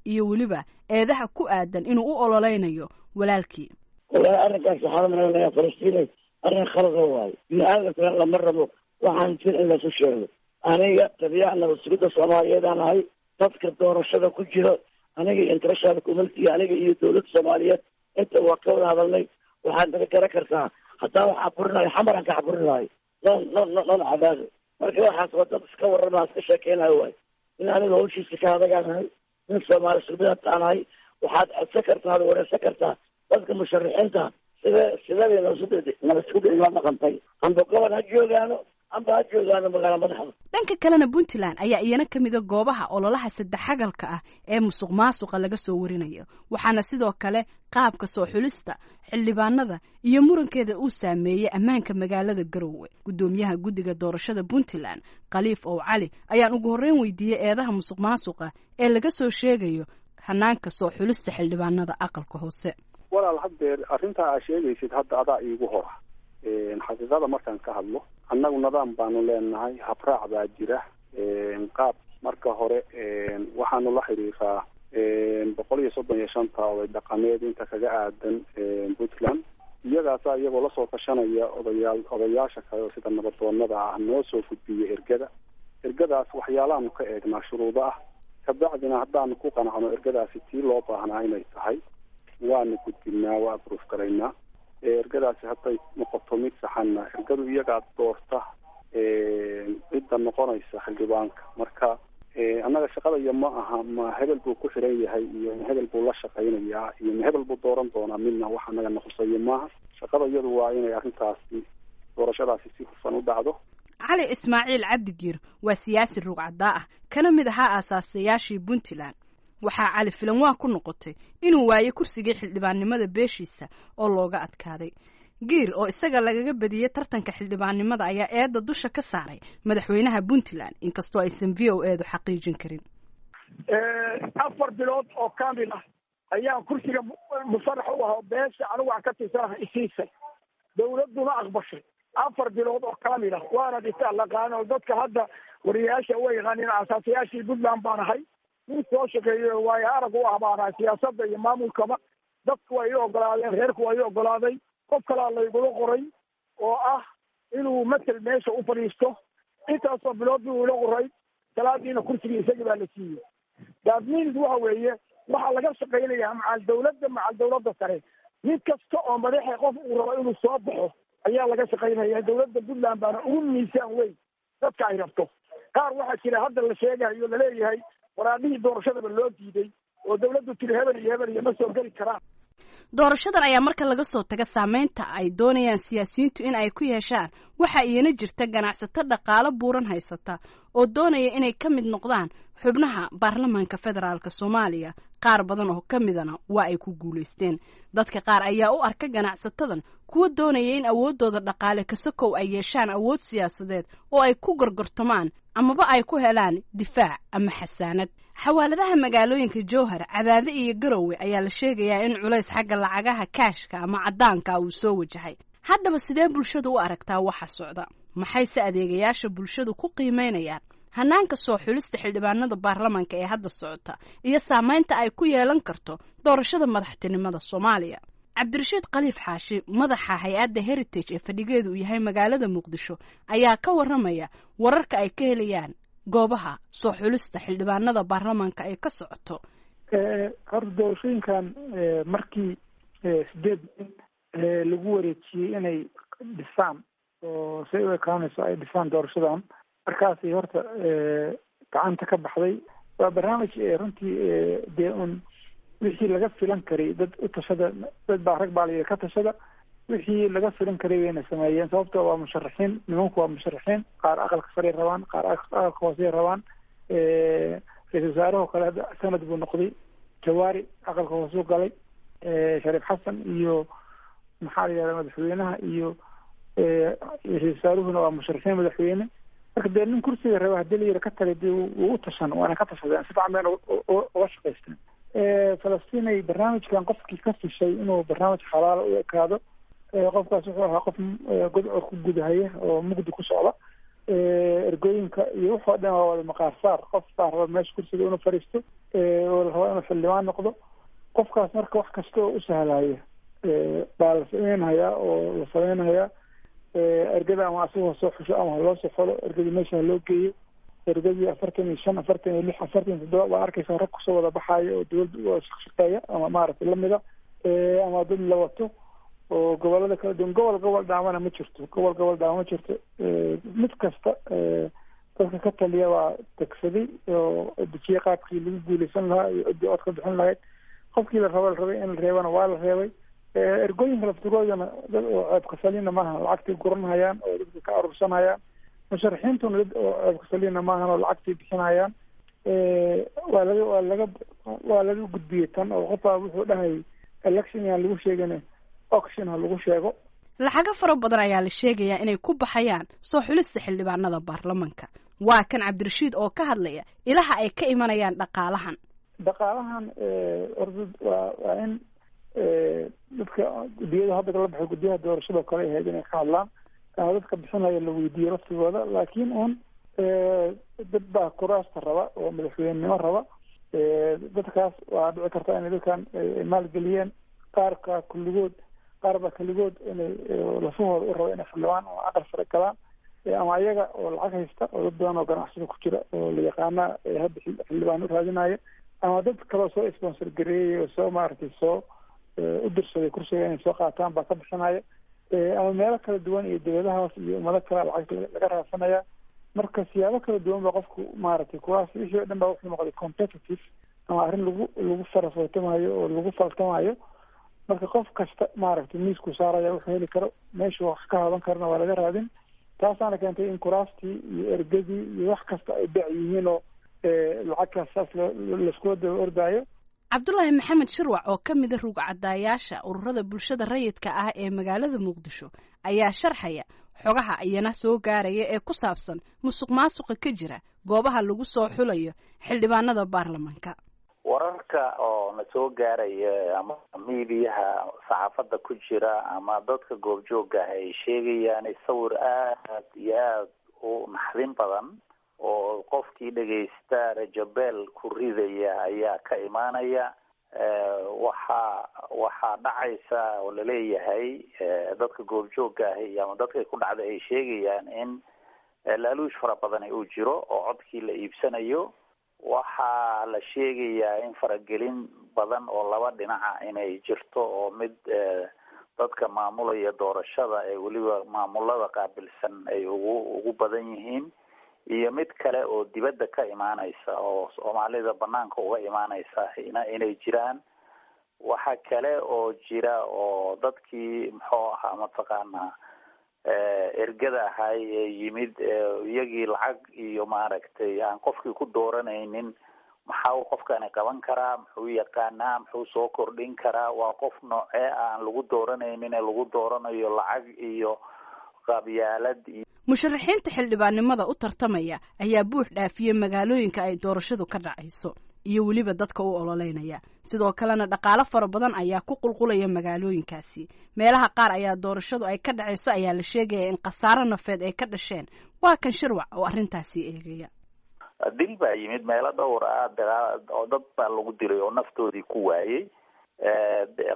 iyo weliba eedaha ku aadan inuu u ololeynayo walaalkii. Walahi arrinkaas waxaan umaleynaya Falastiinay arrin khalada waayo. Bini-aadamkana lama rabo waxaan jir in lasu sheego. Aniga taliyaha nabad sugidda Soomaaliyeed aan ahay, dadka doorashada ku jiro aniga iyo international community, aniga iyo dowladda Soomaaliyeed inta waa ka wada hadalnay. Waxaad naga garan kartaa haddaa wax caburinayo xamaran ka caburin lahay non non non non Cadaado. Marka waxaas waa dad iska warrama iska sheekeynayo waayo. In aniga hawshiisa ka adagaan ahay, nin Soomaali sugidad aan ahay, waxaad codsan kartaa ad wareysan kartaa dadka musharaxiinta sida sidabay nabasugida nabad ila dhaqantay, amba gobol ha joogaano amba ha joogaano magaala madaxda. Dhanka kalena Puntland ayaa iyana ka mida goobaha ololaha saddexagalka ah ee musuq maasuqa laga soo warinayo, waxaana sidoo kale qaabka soo xulista xildhibaanada iyo murankeeda uu saameeyey ammaanka magaalada Garowe. Guddoomiyaha guddiga doorashada Puntland Khaliif Ow Cali ayaan ugu horreyn weydiiyey eedaha musuq maasuqa ee laga soo sheegayo hanaanka soo xulista xildhibaanada aqalka hoose. Walaal, haddeer arrintaa aa sheegaysid hadda adaa iigu hora. Xaqiiqada markaan ka hadlo, annagu nidaam baanu leenahay, habraac baa jira. Qaab marka hore waxaanu la xiriiraa boqol iyo soddon iyo shanta oday dhaqameed inta kaga aadan Puntland, iyagaasaa iyagoo lasoo tashanaya odayaal odayaasha kale oo sida nabadoonada ah noo soo gudbiya ergada. Ergadaas waxyaalahaanu ka eegnaa shuruudo ah, kabacdina haddaanu ku qanacno ergadaasi tii loo baahnaa inay tahay waanu gudbinaa, waa abruuf garaynaa. Ergadaasi hadday noqoto mid saxanna ergadu iyagaa doorta cidda noqonaysa xildhibaanka. Marka annaga shaqadaya ma aha ma hebel buu ku xiran yahay iyo ma hebel buu la shaqaynayaa iyo ma hebel buu dooran doonaa, midna wax annaga naqusayo maaha. Shaqada iyadu waa inay arrintaasi doorashadaasi si hufan u dhacdo. Cali Ismaaciil Cabdigiir waa siyaasi ruugcaddaa ah kana mid ahaa aasaasayaashii Puntland. Waxaa Cali filan waa ku noqotay inuu waayey kursigii xildhibaannimada beeshiisa oo looga adkaaday. Giir oo isaga lagaga badiyey tartanka xildhibaannimada ayaa eedda dusha ka saaray madaxweynaha Puntland, inkastoo aysan V O eedu xaqiijin karin. Afar bilood oo kaamil ah ayaan kursiga musharax u ahaa beesha anigu aan ka tirsanahay isiisay, dowladduna aqbashay afar bilood oo kaamil ah, waana dhisaa laqaano dadka hadda wariyayaasha way yaqaaniin. Asaasayaashii Puntland baan ahay, nin soo shaqeeyo waayo arag u ah baan ahay siyaasadda iyo maamulkaba. Dadku waa ii ogolaadeen, reerku waa ii ogolaaday, qof kalaa laygula qoray oo ah inuu matel meesha u fadhiisto. Intaasoo bilood buu ila qoray, salaadiina kursigii isagii baa la siiyey. That means waxa weeye waxaa laga shaqaynayaa macal dawladda macal dawladda sare. Mid kasta oo madaxa qof uu rabo inuu soo baxo ayaa laga shaqaynaya. Dawladda Puntland baana ugu miisaan weyn dadka ay rabto. Qaar waxaa jira hadda la sheegayo laleeyahay waraadhihii doorashadaba loo diiday oo dawladdu tiri hebel iyo hebel iyo ma soo geli karaan. Doorashadan ayaa marka laga soo taga saameynta ay doonayaan siyaasiyiintu in ay ku yeeshaan, waxaa iyana jirta ganacsato dhaqaalo buuran haysata oo doonaya inay ka mid noqdaan xubnaha baarlamaanka federaalka Soomaaliya. Qaar badan oo ka midana waa ay ku guulaysteen. Dadka qaar ayaa u arka ganacsatadan kuwa doonaya in awooddooda dhaqaale kasakow ay yeeshaan awood siyaasadeed oo ay ku gorgortamaan amaba ay ku helaan difaac ama xasaanad. Xawaaladaha magaalooyinka Jowhar, Cadaade iyo Garowe ayaa la sheegayaa in culays xagga lacagaha kaashka ama caddaanka uu soo wajahay. Haddaba sidee bulshadu u aragtaa waxa socda? Maxayse adeegayaasha bulshadu ku qiimeynayaan hanaanka soo xulista xildhibaanada baarlamaanka ee hadda socota iyo saameynta ay ku yeelan karto doorashada madaxtinimada Soomaaliya? Cabdirashiid Khaliif Xaashi, madaxa hay-adda Heritage ee fadhigeedu uu yahay magaalada Muqdisho, ayaa ka warramaya wararka ay ka helayaan goobaha soo xulista xildhibaanada baarlamaanka ay ka socoto. Horta doorashooyinkan markii sideed nin lagu wareejiyey inay dhisaan oo say u ekaanayso ay dhisaan doorashadan. Markaasi horta gacanta ka baxday. Waa barnaamij runtii dee un wixii laga filan karay dad u tashada, dad baa rag baa la yidhi ka tashada, wixii laga filan karay wayna sameeyeen. Sababto waa musharaxiin, nimanku waa musharaxiin, qaar aqalka saray rabaan, qaar aqalka hoosey rabaan. Ra-isul wasaarahoo kale hadda sanad buu noqday, Jawaari aqalka hoosuu galay, Shariif Xasan iyo maxaa la yihahda madaxweynaha iyo ra-isul wasaaruhuna waa musharaxiin madaxweyne. Marka dee nin kursiga raba hadii la yiri ka tagay dee wuu u tashan, waana ka tashadeen, si fiican bayna uga shaqaysteen. Falastiin ay barnaamijkan qofkii ka fishay inuu barnaamij xalaala u ekaado, qofkaas wuxuu ahaa qof godcor ku gudahaya oo mugdi ku socda. Ergooyinka iyo wuxoo dhan waa wada maqaar saar. Qof baa raba meesha kursiga inuu fadhiisto oo la rabaa inuu xildhibaan noqdo. Qofkaas marka wax kasta oo u sahlaya baa la sameynhayaa oo la sameynhayaa. Ergada ama asagoo soo xusho ama haloo soo xolo, ergadii meesha haloo geeyo. Ergadii afartan iyo shan, afartan iyo lix, afartan iyo toddoba baa arkaysa rag kusoo wada baxaayo oo dowladda u shaqshaqeeya ama maaragtay lamida ama dad la wato oo gobolada kala duwan. Gobol gobol dhaamana ma jirto, gobol gobol dhaama ma jirto. Mid kasta dadka ka taliya waa degsaday oo dejiyey qaabkii lagu guuleysan lahaa iyo ciddii cod ka bixin lahayd. Qofkii la rabo la rabay in la reebana waa la reebay. Ergooyinka laftigoodana dad oo ceebkasalina maaha, lacagtay guranhayaan oo dadka ka arursanhayaan. Musharaxiintuna dad oo ceebkasalina maahan oo lacagtay bixinhayaan. Waa laga waa laga waa laga gudbiyey tan oo qof baa wuxuu dhahay election yaan lagu sheegin, auction ha lagu sheego. Lacago fara badan ayaa la sheegayaa inay ku baxayaan soo xulista xildhibaanada baarlamanka. Waa kan Cabdirashiid oo ka hadlaya ilaha ay ka imanayaan dhaqaalahan. Dhaqaalahan orda waa waa in dadka guddiyada hadda kala baxay, guddiyaha doorashada kale ahayd inay ka hadlaan ama dadka bixinaya la weydiiyo laftigooda. Laakiin un dad baa kuraasta raba oo madaxweynenimo raba. Dadkaas waa dhici karta inay dadkan maalgeliyeen, qaarka kulligood, qaar baa keligood inay lafahooda u raba inay xildhibaan oo aqal sare galaan, ama ayaga oo lacag haysta oo dad badan oo ganacsada ku jira oo la yaqaana hadda xildhibaan u raadinaya, ama dad kaloo soo sponsor gareeyay oo soo maaragtay soo u dirsaday kursiga inay soo qaataan baa ka bixinaya, ama meelo kala duwan iyo dowladahaas iyo ummado kale lacagta laga raadsanaya. Marka siyaabo kala duwan ba qofku maaragtay kuwaas wixii o dhan baa wuxuu noqday competitive ama arrin lagu lagu farafootamayo oo lagu faltamayo. Marka qof kasta maaragtay miiskuu saaraya wuxuu heli karo, meeshuu wax ka haban karana waa laga raadin. Taasaana keentay in kuraastii iyo ergadii iyo wax kasta ay beec yihiin oo lacagtaas saas laiskula daba ordaayo. Cabdulaahi Maxamed Shirwac oo ka mida rugcadaayaasha ururada bulshada rayidka ah ee magaalada Muqdisho ayaa sharxaya xogaha iyana soo gaaraya ee ku saabsan musuq maasuqa ka jira goobaha lagu soo xulayo xildhibaanada baarlamanka. Wararka oo na soo gaaraya ama miidiyaha saxaafadda ku jira ama dadka goobjoogga ah ay sheegayaan sawir aad iyo aad u naxdin badan oo qofkii dhegaysta rajabeel ku ridaya ayaa ka imaanaya. Waxaa waxaa dhacaysa oo laleeyahay dadka goobjoogga ahi ama dadka ku dhacday ay sheegayaan in laaluush fara badani uu jiro oo codkii la iibsanayo. Waxaa la sheegayaa in faragelin badan oo laba dhinaca inay jirto, oo mid dadka maamulaya doorashada ee weliba maamulada qaabilsan ay ugu ugu badan yihiin, iyo mid kale oo dibadda ka imaaneysa oo Soomaalida banaanka uga imaaneysa ina inay jiraan. Waxa kale oo jira oo dadkii muxuu ahaa mataqaanaa ergada ahay ee yimid iyagii lacag iyo maaragtay aan qofkii ku dooranaynin, maxaa uu qofkani qaban karaa, muxuu yaqaanaa, muxuu soo kordhin karaa, waa qof noocee aan lagu dooranaynin ee lagu dooranayo lacag iyo qabyaalad. Musharaxiinta xildhibaannimada u tartamaya ayaa buux dhaafiyey magaalooyinka ay doorashadu ka dhacayso iyo weliba dadka u ololeynaya. Sidoo kalena dhaqaalo fara badan ayaa ku qulqulaya magaalooyinkaasi. Meelaha qaar ayaa doorashadu ay ka dhacayso ayaa la sheegaya in khasaaro nafeed ay ka dhasheen. Waa kan Shirwac oo arrintaasi eegaya. Dil baa yimid meelo dhowr ah, oo dad baa lagu dilay oo naftoodii ku waayey.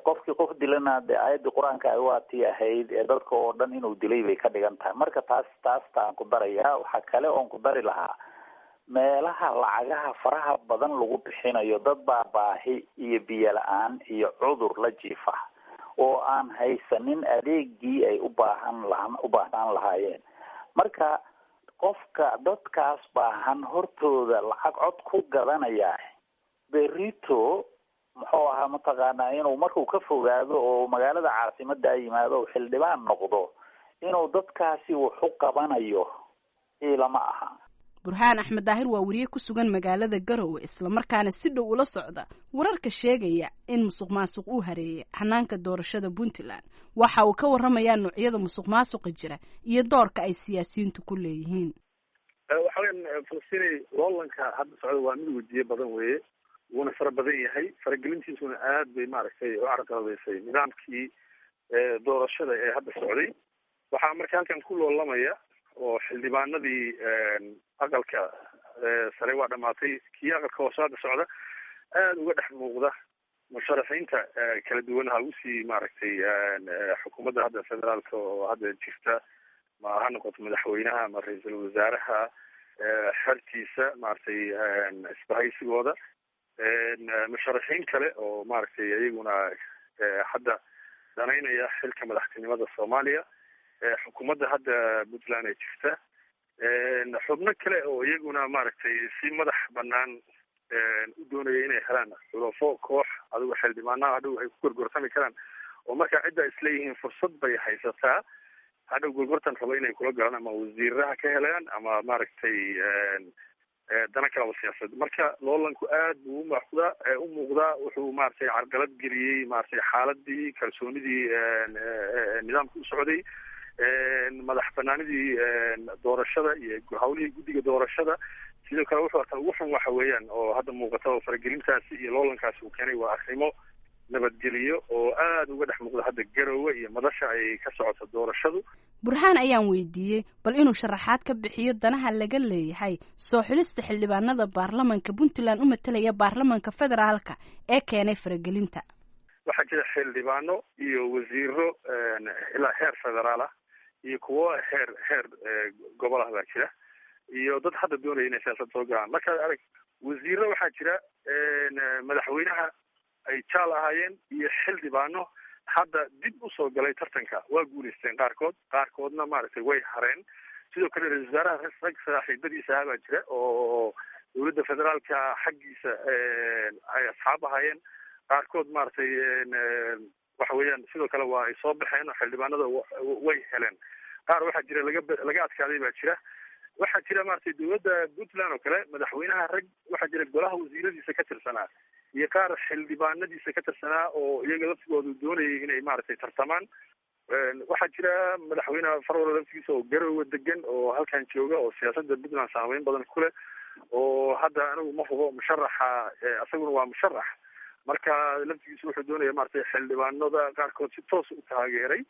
Qofkii qof dilana dee aayaddii qur-aanka ay waatii ahayd ee dadka oo dhan inuu dilay bay ka dhigan tahay. Marka taas taastaan ku darayaa. Waxaa kale oon ku dari lahaa meelaha lacagaha faraha badan lagu bixinayo, dad baa baahi iyo biyo la-aan iyo cudur la jiifa oo aan haysanin adeegii ay u baahan laha u baahnaan lahaayeen. Marka qofka dadkaas baahan hortooda lacag cod ku gadanaya berito muxuu ahaa mataqaanaa inuu markuu ka fogaado oo magaalada caasimadda yimaado oo xildhibaan noqdo inuu dadkaasi wax u qabanayo ilama aha. Burhaan Axmed Daahir waa wariye ku sugan magaalada Garowe, islamarkaana si dhow ula socda wararka sheegaya in musuq maasuq uu hareeyay hanaanka doorashada Puntland. Waxa uu ka warramayaa noocyada musuq maasuqa jira iyo doorka ay siyaasiyiintu ku leeyihiin. Waxa weyan Falastiinay, loolanka hadda socda waa mid wejiye badan weeye, wuuna fara badan yahay, faragelintiisuna aad bay maaragtay u carqaladeysay nidaamkii doorashada ee hadda socday. Waxaa marka halkan ku loolamaya oo xildhibaanadii aqalka sare waa dhamaatay, kii aqalka hoose hadda socda aada uga dhex muuqda musharaxiinta kala duwan ha usii maaragtay xukuumadda hadda federaalka oo hadda jirta, ma ha noqoto madaxweynaha ama ra-iisul wasaaraha xertiisa maaragtay isbahaysigooda, musharaxiin kale oo maaragtay iyaguna hadda danaynaya xilka madaxtinimada Soomaaliya, xukuumadda hadda Puntland ee jirta, xubno kale oo iyaguna maaragtay si madax banaan u doonaya inay helaan xulafo koox adigo xildhibaanaha hadhow ay ku gorgortami karaan, oo markaa cidda isleeyihiin fursad bay haysataa hadhow gorgortan rabo inay kula galaan ama wasiiraha ka helaan ama maaragtay dana kalaba siyaasad. Marka loolanku aad buu umuuqdaa u muuqdaa wuxuu maaragtay carqalad geliyey maaragtay xaaladii kalsoonidii nidaamka u socday, madax banaanidii doorashada iyo hawlihii guddiga doorashada. Sidoo kale wuxuu ataa ugu xun waxa weeyaan oo hadda muuqata oo faragelintaasi iyo loolankaasi uu keenay waa arrimo nabadgeliyo oo aada uga dhex muuqda hadda Garowe iyo madasha ay ka socoto doorashadu. Burhaan ayaan weydiiyey bal inuu sharaxaad ka bixiyo danaha laga leeyahay soo xulista xildhibaanada baarlamanka Puntland u matalaya baarlamanka federaalka ee keenay faragelinta. Waxaa jira xildhibaano iyo wasiiro ilaa heer federaal ah iyo kuwo heer heer gobol ah baa jira, iyo dad hadda doonaya inay siyaasad soo galaan. Markaad arag wasiiro waxaa jira madaxweynaha ay jaal ahaayeen iyo xildhibaano hadda dib usoo galay tartanka, waa guulaysteen qaarkood, qaarkoodna maaragtay way hareen. Sidoo kale ra-isul wasaaraha rag saaxiibadiisa ahaa baa jira oo dowladda federaalka xaggiisa ay asxaab ahaayeen, qaarkood maaragtay waxa weeyaan sidoo kale waa ay soo baxeen oo xildhibaanada way heleen. Qaar waxaa jira laga laga adkaaday baa jira. Waxaa jira maaragtay dowladda Puntland oo kale madaxweynaha rag waxaa jira golaha wasiiradiisa ka tirsanaa iyo qaar xildhibaanadiisa ka tirsanaa oo iyaga laftigoodu doonayay inay maaragtay tartamaan. Waxaa jira madaxweynaha Farwal laftigiisa oo Garowe degan oo halkan jooga oo siyaasadda Puntland saameyn badan ku leh, oo hadda anigu ma hubo musharaxa, isaguna waa musharax. Marka laftigiisa wuxuu doonaya maaragtay xildhibaanada qaarkood si toos u taageeray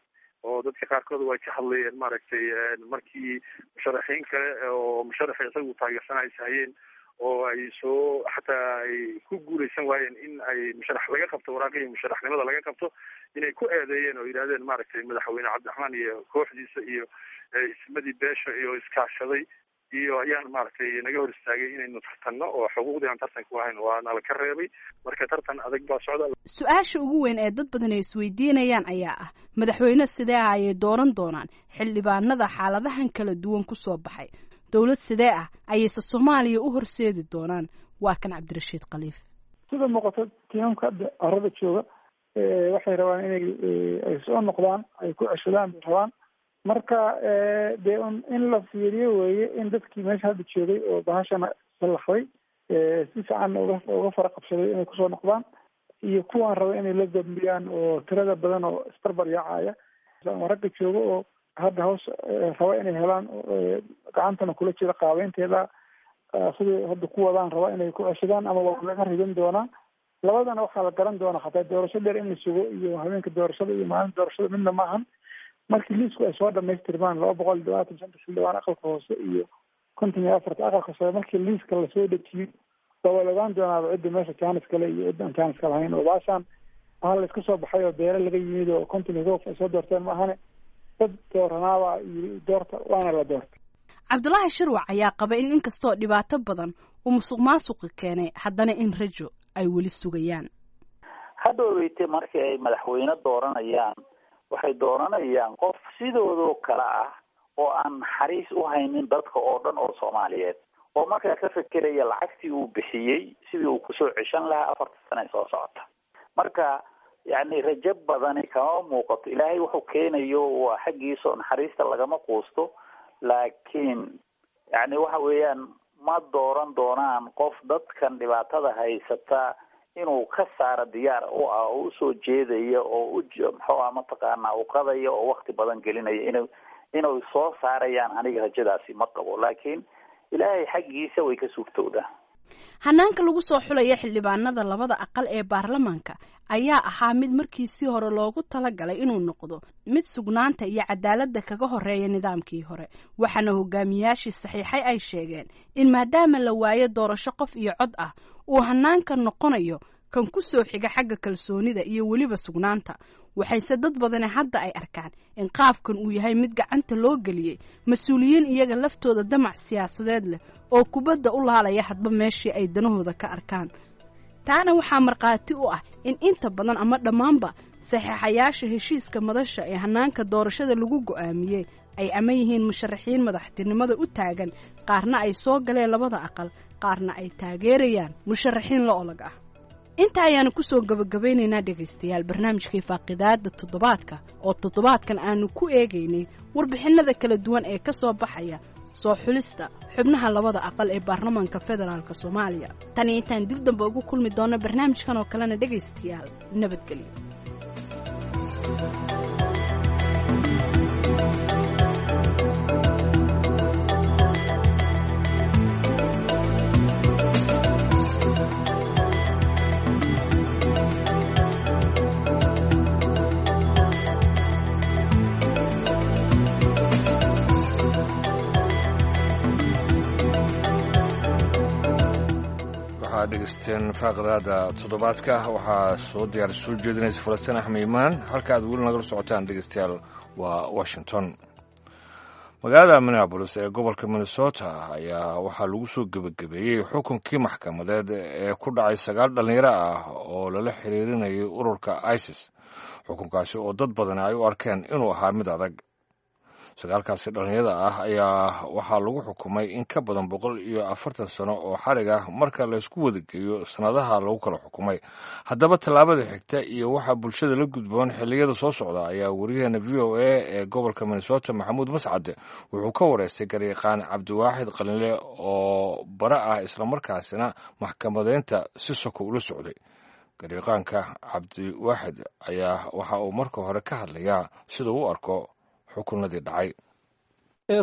oo dadka qaarkood way ka hadlayeen maaragtay markii musharaxiin kale oo musharaxii isagu taageersan ay sahayeen oo ay soo xataa ay ku guuleysan waayeen in ay musharax laga qabto waraaqihii musharaxnimada laga qabto, inay ku eedeeyeen oo yidhahdeen maaragtay madaxweyne Cabdiraxmaan iyo kooxdiisa iyo ismadii beesha iyo iskaashaday iyo ayaan maaragtay naga hor istaagay inaynu tartanno oo xuquuqdii aan tartanku ahayn waa nala ka reebay. Marka tartan adag baa socda. Su-aasha ugu weyn ee dad badan ay isweydiinayaan ayaa ah madaxweyne sidee ah ayay dooran doonaan xildhibaanada xaaladahan kala duwan ku soo baxay, dowlad sidee ah ayayse Soomaaliya u horseedi doonaan? Waa kan Cabdirashiid Khaliif. Sida muuqato tiimamka hadda carada jooga waxay rabaan inay ay soo noqdaan, ay ku ceshadaan bay rabaan. Marka dee un in la fiiriyo weeye in dadkii meesha hadda joogay oo bahashana sallaxday si fiican uga uga fara qabsaday inay kusoo noqdaan, iyo kuwaan raba inay la dambiyaan oo tirada badan oo isbarbar yaacaya ama ragga jooga oo hadda hoos raba inay helaan gacantana kula jira qaabeynteeda siday hadda ku wadaan raba inay ku ceshadaan ama waa laga ridan doonaa. Labadana waxaa la garan doonaa xataa doorasho dheer in la sugo iyo habeenka doorashada iyo maalinta doorashada midna maahan. Markii liisku ay soo dhamaystirmaan laba boqol iyo labaatan shanta xildhibaan aqalka hoose iyo konton iyo afarta aqalka sare, markii liiska lasoo dejiyo waa la ogaan doonaaba cidda meesha jaanis kale iyo cidda aan jaaniska lahayn. Oo baashaan waxaa la iska soo baxay oo beere laga yimid oo konton iyo kof ay soo doorteen maahane dad dooranaaba iyo doorta waana la doortay. Cabdulaahi Shirwac ayaa qaba in inkastoo dhibaato badan uu musuq maasuqi keenay, haddana in rajo ay weli sugayaan. Hadhoweyte markii ay madaxweyne dooranayaan, waxay dooranayaan qof sidoodoo kale ah oo aan naxariis u haynin dadka oo dhan oo Soomaaliyeed, oo markaa ka fekeraya lacagtii uu bixiyey sidii uu kusoo ceshan lahaa afarta sane ee soo socota. Marka yacni rajo badani kama muuqato. Ilaahay wuxuu keenayo waa xaggiisa oo naxariista lagama quusto, laakiin yacni waxa weeyaan ma dooran doonaan qof dadkan dhibaatada haysata inuu ka saaro diyaar u ah oo usoo jeedaya oo u muxuu ah mataqaanaa u qadaya oo wakti badan gelinaya inu inuu soo saarayaan. Aniga rajadaasi ma qabo, laakiin Ilaahay xaggiisa way ka suurtowdaa. Hanaanka lagu soo xulaya xildhibaanada labada aqal ee baarlamaanka ayaa ahaa mid markiisii hore loogu talagalay inuu noqdo mid sugnaanta iyo cadaaladda kaga horeeya nidaamkii hore, waxaana hogaamiyaashii saxiixay ay sheegeen in maadaama la waayo doorasho qof iyo cod ah, uu hanaanka noqonayo kan ku soo xiga xagga kalsoonida iyo weliba sugnaanta. Waxayse dad badani hadda ay arkaan in qaabkan uu yahay mid gacanta loo geliyey mas-uuliyiin iyaga laftooda damac siyaasadeed leh oo kubadda u laalaya hadba meeshii ay danahooda ka arkaan. Taana waxaa markhaati u ah in inta badan ama dhammaanba saxiixayaasha heshiiska madasha ee hanaanka doorashada lagu go'aamiyey ay ama yihiin musharaxiin madaxtinimada u taagan, qaarna ay soo galeen labada aqal, qaarna ay taageerayaan musharaxiin la olag ah. Inta ayaanu kusoo gabagabaynaynaa dhegaystayaal barnaamijkii faaqidaada toddobaadka oo toddobaadkan aanu ku eegaynay warbixinnada kala duwan ee ka soo baxaya soo xulista xubnaha labada aqal ee baarlamaanka federaalk Soomaaliya. Tan iyo intaan dib dambe ugu kulmi doono barnaamijkan oo kalena, dhegaystayaal, nabadgelyo. Waxaad dhegeysteen faaqidaada toddobaadka. Waxaa soo diyaar soo jeedinaysa Falastiin Axmed Imaan. Halka aad weli nagala socotaan, dhegeystayaal, waa Washington. Magaalada Minneapolis ee gobolka Minnesota ayaa waxaa lagu soo gebagabeeyey xukunkii maxkamadeed ee ku dhacay sagaal dhallinyaro ah oo lala xiriirinayay ururka ISIS, xukunkaasi oo dad badan ay u arkeen inuu ahaa mid adag. Sagaalkaasi dhallinyarada ah ayaa waxaa lagu xukumay in ka badan boqol iyo afartan sano oo xarig ah marka laysku wadageeyo sannadaha lagu kala xukumay. Haddaba tallaabada xigta iyo waxaa bulshada la gudboon xilliyada soo socda ayaa wariyaheena V O A ee gobolka Minnesota Maxamuud Mascade wuxuu ka wareystay garyaqaan Cabdiwaaxid Qalinle oo bara ah islamarkaasina maxkamadeynta si soko ula socday. Garyaqaanka Cabdiwaaxid ayaa waxa uu marka hore ka hadlayaa sida uu u arko xukunadii dhacay.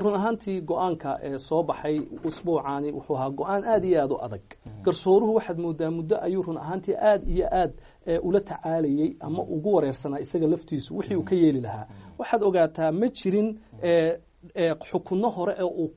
Run ahaantii go-aanka ee soo baxay usbuucaani wuxuu ahaa go-aan aad iyo aad u adag. Garsooruhu waxaad moodaa muddo ayuu run ahaantii aad iyo aad ula tacaalayey ama ugu wareersanaa isaga laftiisu wixii uu ka yeeli lahaa. Waxaad ogaataa ma jirin xukunno hore oo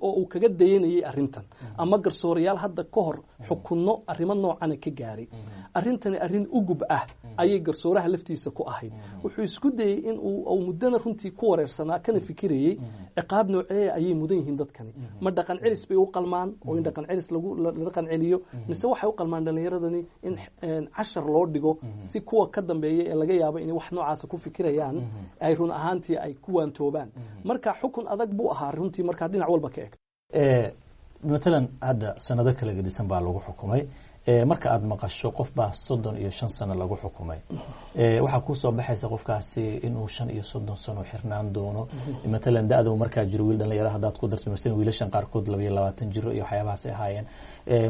uu kaga dayanayay arrintan ama garsoorayaal hadda ka hor xukunno arrimo noocana ka gaaray. Arrintani arrin ugub ah ayay garsooraha laftiisa ku ahayd. Wuxuu isku dayey in uu muddana runtii ku wareersanaa kana fikirayey ciqaab noocee ayay mudan yihiin dadkani, ma dhaqan celis bay u qalmaan oo in dhaqan celis lagu la dhaqan celiyo, mise waxay u qalmaan dhallinyaradani in cashar loo dhigo si kuwa ka dambeeya ee laga yaabo inay wax noocaasa ku fikirayaan ay run ahaantii ay ku waantoobaan. Marka xukun adag buu ahaa runtii markaa dhinac walba ka eegto. Matalan hadda sanado kala gedisan baa lagu xukumay. Marka aada maqasho qof baa soddon iyo shan sano lagu xukumay, waxaa kusoo baxaysa qofkaasi inuu shan iyo soddon sano xirnaan doono. Matalan da-da markaa jiro wiil dhalinyaro haddaad ku darto, masalan wiilashan qaarkood laba iyo labaatan jiro iyo waxyaabahaas ay ahaayeen,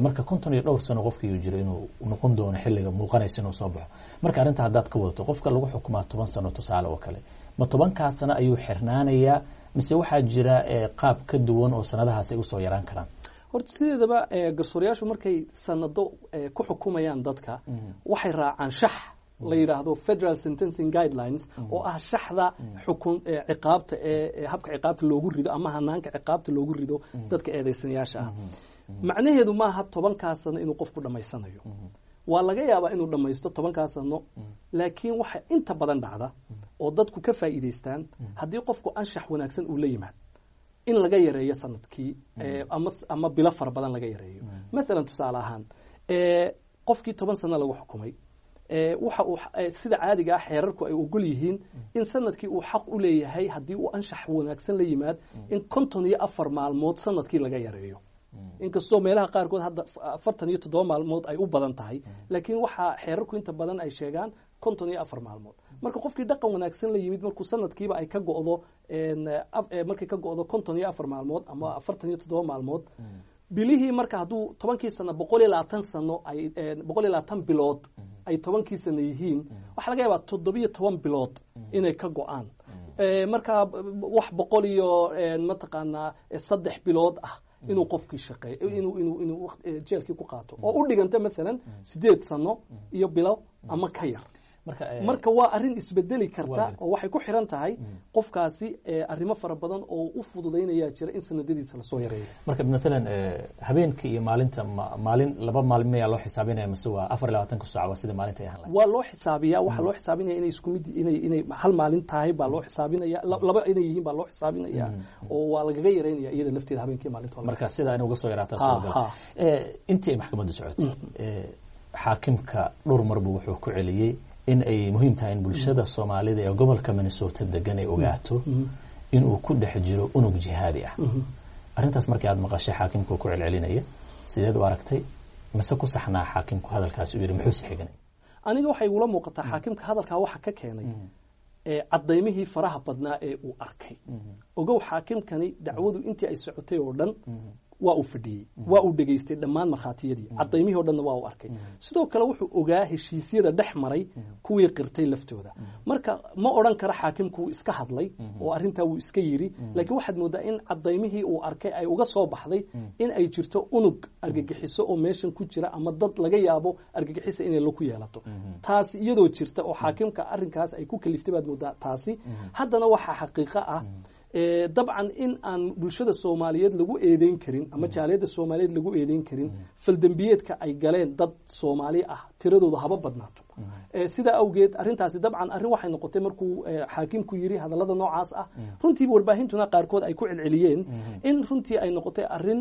marka konton iyo dhowr sano qofkii jiro inuu noqon doono xilliga muuqanaysa inuu soo baxo. Marka arrinta haddaad ka wadato qofka lagu xukumaa toban sano tusaale oo kale, ma tobankaa sano ayuu xirnaanayaa mise waxaa jira qaab ka duwan oo sanadahaas ay usoo yaraan karaan? Horta sideedaba garsoorayaashu markay sanado ku xukumayaan dadka waxay raacaan shax la yidhaahdo Federal Sentencing Guidelines, oo ah shaxda xukun ciqaabta ee habka ciqaabta loogu rido ama hanaanka ciqaabta loogu rido dadka eedaysanayaasha ah. Macnaheedu maaha tobankaa sano inuu qofku dhammaysanayo. Waa laga yaabaa inuu dhammaysto tobankaa sano, laakiin waxa inta badan dhacda oo dadku ka faa'iidaystaan haddii qofku anshax wanaagsan uu la yimaad in laga yareeyo sanadkii ama ama bilo fara badan laga yareeyo. Mathalan tusaale ahaan qofkii toban sano lagu xukumay Waxa uu sida caadiga ah xeerarku ay ogol yihiin in sanadkii uu xaq u leeyahay haddii uu anshax wanaagsan la yimaad in konton iyo afar maalmood sanadkii laga yareeyo, inkastoo meelaha qaarkood hadda afartan iyo toddoba maalmood ay u badan tahay, laakiin waxaa xeerarku inta badan ay sheegaan konton iyo afar maalmood. Marka qofkii dhaqan wanaagsan la yimid markuu sanadkiiba ay ka go'do, markay ka go'do konton iyo afar maalmood ama afartan iyo toddoba maalmood bilihii, marka hadduu tobankii sano boqol iyo labaatan sano ay boqol iyo labaatan bilood ay tobankii sano yihiin, waxaa laga yaabaa toddobiyo toban bilood inay ka go'aan. Marka wax boqol iyo mataqaanaa saddex bilood ah inuu qofkii shaqeeyo, inuu inuu inuu jeelkii ku qaato oo u dhiganta maalan sideed sano iyo bilo ama ka yar. Marka waa arrin isbedeli karta oo waxay ku xiran tahay qofkaasi arrimo fara badan oo u fududaynaya jira in sanadadiisa lasoo yareeyo. Marka maalan habeenka iyo maalinta, maalin laba maalin mayaa loo xisaabinaya mise waa afar iyo labaatanka saac waa sida maalinta ay ahaan lahayd? Waa loo xisaabiyaa, waxaa loo xisaabinaya inay isku mid inay inay hal maalin tahay baa loo xisaabinaya, laba inay yihiin baa loo xisaabinaya oo waa lagaga yareynaya iyada lafteeda habeenkii maalinta. Marka sidaa inay uga soo yaraataa suuragal. Intii ay maxkamaddu socotay xaakimka dhowr mar buu wuxuu ku celiyey in ay muhiim tahay in bulshada Soomaalida ee gobolka Minnesota degan ay ogaato inuu ku dhex jiro unug jihaadi ah. Arrintaas markii aad maqashay xaakimku ku celcelinaya, sideed u aragtay? Mise ku saxnaa xaakimku hadalkaasi u yidhi? Muxuu si xiganay? Aniga waxay igula muuqataa xaakimka hadalkaa waxa ka keenay cadaymihii faraha badnaa ee uu arkay. Ogow, xaakimkani dacwadu intii ay socotay oo dhan waa uu fadhiyey, waa uu dhegaystay dhammaan markhaatiyadii, cadaymihii o dhanna waa uu arkay. Sidoo kale wuxuu ogaa heshiisyada dhex maray kuwii qirtay laftooda. Marka ma odhan karo xaakimku wuu iska hadlay oo arrintaa wuu iska yiri, laakiin waxaad moodaa in cadaymihii uu arkay ay uga soo baxday in ay jirto unug argagixiso oo meeshan ku jira ama dad laga yaabo argagixisa inay laku yeelato. Taasi iyadoo jirta oo xaakimka arrinkaas ay ku kaliftay baad moodaa taasi. Haddana waxaa xaqiiqo ah dabcan in aan bulshada Soomaaliyeed lagu eedeyn karin ama jaaliyadda Soomaaliyeed lagu eedeyn karin faldembiyeedka ay galeen dad Soomaali ah, tiradooda haba badnaato. Sidaa awgeed arrintaasi dabcan arrin waxay noqotay markuu xaakimku yiri hadallada noocaas ah, runtiiba warbaahintuna qaarkood ay ku celceliyeen, in runtii ay noqotay arrin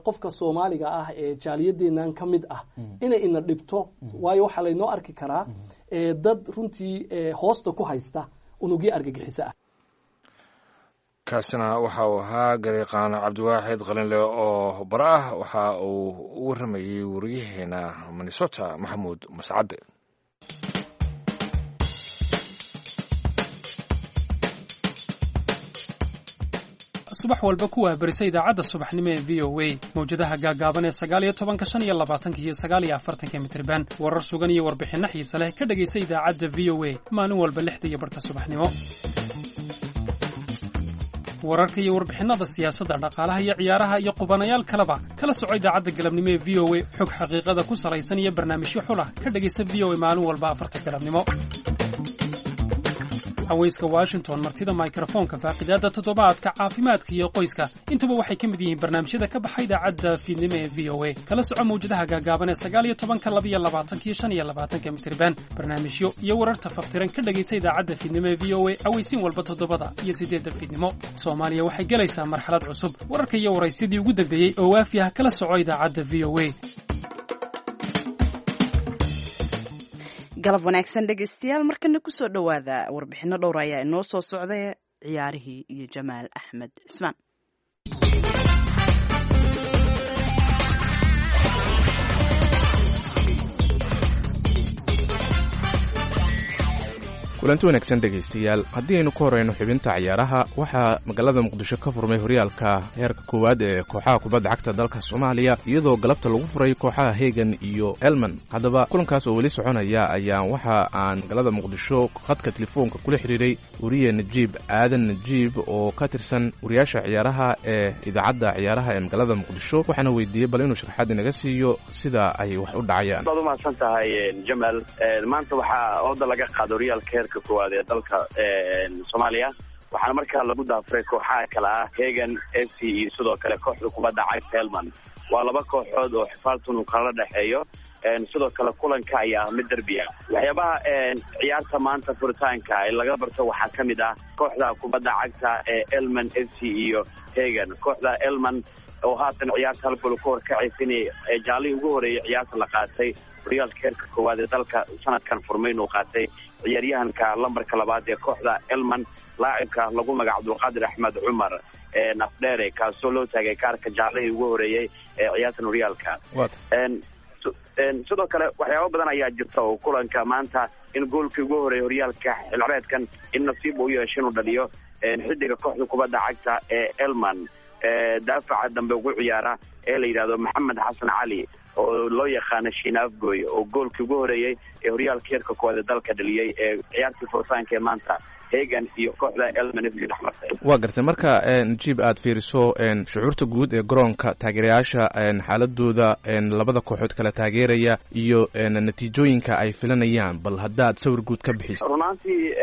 qofka Soomaaliga ah ee jaaliyadeennan ka mid ah inay ina dhibto, waayo waxaa laynoo arki karaa dad runtii hoosta ku haysta unugyo argagixiso ah. Kaasina waxa uu ahaa gariiqaan Cabdiwaaxid Qalinle oo bara ah. Waxa uu u warramayey wariyaheena Minnesota Maxamuud Mascadde. Subax walba ku waahbarisa idaacadda subaxnimo ee V O A, mawjadaha gaagaaban ee sagaal iyo tobanka, shan iyo labaatanka iyo sagaal iyo afartanka mitirban. Warar sugan iyo warbixinno xiise leh ka dhegaysa idaacadda V O A maalin walba lixda iyo barhka subaxnimo. Wararka iyo warbixinnada siyaasadda, dhaqaalaha iyo ciyaaraha iyo qubanayaal kaleba kala soco idaacadda galabnimo ee V O A. Xog xaqiiqada ku salaysan iyo barnaamijyo xulah ka dhegaysa V O A maalin walba afarta galabnimo. Haweyska Washington, martida mikrofoonka, faaqidaadda toddobaadka, caafimaadka iyo qoyska, intuba waxay ka mid yihiin barnaamijyada ka baxa idaacadda fiidnimo ee V O A. Kala soco mawjadaha gaagaaban ee sagaal iyo tobanka, laba iyo labaatanka iyo shan iyo labaatanka mitirban. Barnaamijyo iyo wararta faftiran ka dhegaysa idaacadda fiidnimo ee V O A aweysiin walba toddobada iyo siddeedda fiidnimo. Soomaaliya waxay gelaysaa marxalad cusub. Wararka iyo waraysidii ugu dambeeyey oo waafi ah kala soco idaacadda V O A. Galab wanaagsan dhegaystayaal, markana kusoo dhowaada warbixino dhowr ayaa inoo soo socday, ciyaarihii iyo Jamaal Axmed Cismaan. Kulanti wanaagsan dhegaystayaal, haddii aynu ku horeyno xubinta ciyaaraha, waxaa magaalada Muqdisho ka furmay horyaalka heerka koowaad ee kooxaha kubadda cagta dalka Soomaaliya, iyadoo galabta lagu furay kooxaha Hegan iyo Elman. Haddaba kulankaas oo weli soconaya ayaa waxa aan magaalada Muqdisho khadka telefoonka kula xiriiray wariye Najiib Aadan Najiib oo ka tirsan wariyaasha ciyaaraha ee idaacadda ciyaaraha ee magaalada Muqdisho, waxaana weydiiyey bal inuu sharaxaad inaga siiyo sida ay wax u dhacayaan. Waad umahadsan tahay Jamal. Maanta waxaa ooda laga qaado horyaalka heerka koowaad ee dalka Soomaaliya, waxaana markaa lagu daafuray kooxaha kale ah Hegan F C iyo sidoo kale kooxda kubadda cagta Helman. Waa laba kooxood oo xifaaltun uu kala dhexeeyo, sidoo kale kulanka ayaa ah mid derbi ah. Waxyaabaha ciyaarta maanta furitaanka laga barto waxaa ka mid ah kooxda kubadda cagta ee Elman F C iyo Hegan. Kooxda Elman oo haatan ciyaarta hal gol ku horkacaysa inay jaalihii ugu horeeyay ciyaarta la qaatay Horyaalka heerka koowaad ee dalka sanadkan furmay inuu qaatay ciyaaryahanka lambarka labaad ee kooxda Elman, laacibka lagu magac Cabdulqaadir Axmed Cumar Nafdheere, kaasoo loo taagay kaarka jaalihii ugu horeeyey ee ciyaartan horyaalka. Sidoo kale waxyaabo badan ayaa jirta oo kulanka maanta in goolkii ugu horeeyay horyaalka xilcreedkan in nasiib uu yeesho inuu dhaliyo xidiga kooxda kubadda cagta ee Elman, daafaca dambe ugu ciyaara ee la yidhahdo Maxamed Xasan Cali oo loo yaqaano Shiinaafgoy, oo goolkii ugu horeeyey ee horyaalka heerka koowaad ee dalka dhaliyey ee ciyaartii furitaanka ee maanta Hegan iyo kooxda Elman F C dhex martay. Waa gartay. Marka Najiib aad fiiriso shucuurta guud ee garoonka, taageerayaasha xaaladooda, labada kooxood kala taageeraya iyo natiijooyinka ay filanayaan, bal haddaad sawir guud ka bixiso. Runaantii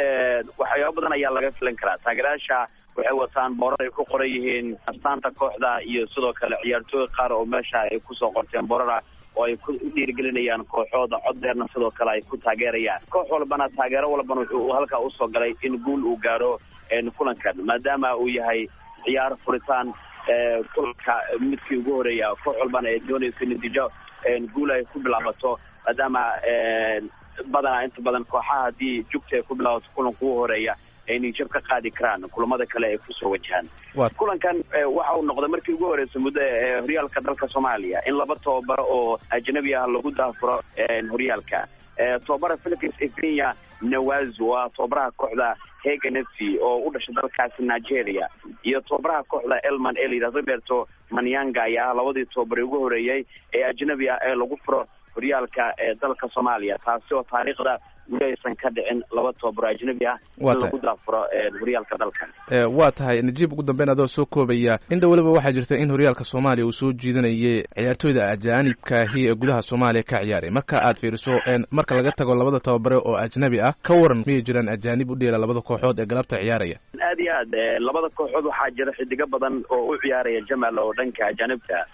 waxyaabo badan ayaa laga filan karaa. Taageerayaasha waxay wataan boorar ay ku qoran yihiin astaanta kooxda iyo sidoo kale ciyaartooy qaar oo meesha ay kusoo qorteen boorara oo ay ku dhiirigelinayaan kooxooda, cod dheerna sidoo kale ay ku taageerayaan. Koox walbana taageero walbana wuxuu halkaa usoo galay in guul uu gaaro kulankan, maadaama uu yahay ciyaar furitaan kulanka midkii ugu horeeya. Koox walbana ay doonayso natiijo guul ay ku bilaabato, maadaama badanaa inta badan kooxaha haddii jugta ay ku bilaabato kulanka ugu horeeya ay nijab ka qaadi karaan kulamada kale ay kusoo wajahaan. Kulankan waxa uu noqday markii ugu horreysay muddo horyaalka dalka Soomaaliya in laba tababaro oo ajnabi ah lagu daafuro horyaalka. Tababara Felix Efenya Nawazu waa tababaraha kooxda Hegan F C oo u dhashay dalkaasi Nigeria, iyo tababaraha kooxda Elman ee la yidhahdo Roberto Manyanga ayaa ah labadii tababare ugu horeeyey ee ajnabi ah ee lagu furo horyaalka ee dalka Soomaaliya, taasi oo taariikhda weli aysan ka dhicin laba tababaro ajnabi ah in lagu daafuro horyaalka dalka. Waa tahay Najiib, ugu dambeyn adoo soo koobaya, inta weliba waxaa jirta in horyaalka Soomaaliya uu soo jiidanayay ciyaartooyda ajaanibkaahi ee gudaha Soomaaliya ka ciyaaray. Marka aad fiiriso, marka laga tago labada tababare oo ajnabi ah, ka waran miyay jiraan ajaanib u dheela labada kooxood ee galabta ciyaaraya? Aad iyo aad, labada kooxood waxaa jira xidigo badan oo u ciyaaraya Jamal oo dhanka ajaanibta.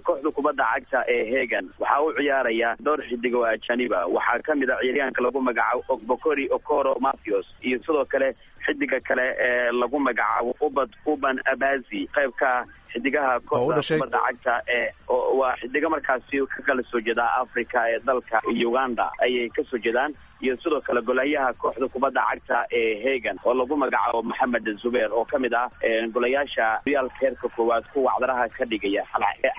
Kooxda kubadda cagta ee Hegan waxaa u ciyaaraya dhowr xidig oo ajaniba. Waxaa kamid ah ciyaaryahanka lagu magacaabo Ogbokori Okoro Matthews iyo sidoo kale xidiga kale ee lagu magacaabo Ubad Uban Abazi, qayb ka xidigaha kooxda kubadda cagta ee waa xidiga markaasi ka kala soo jeeda Africa ee dalka Uganda ayay kasoo jeedaan, iyo sidoo kale golayaha kooxda kubadda cagta ee Hegan oo lagu magacaabo Maxamed Zubeer oo kamid ah golayaasha horyaalka heerka koowaad kuwa cdaraha ka dhigaya.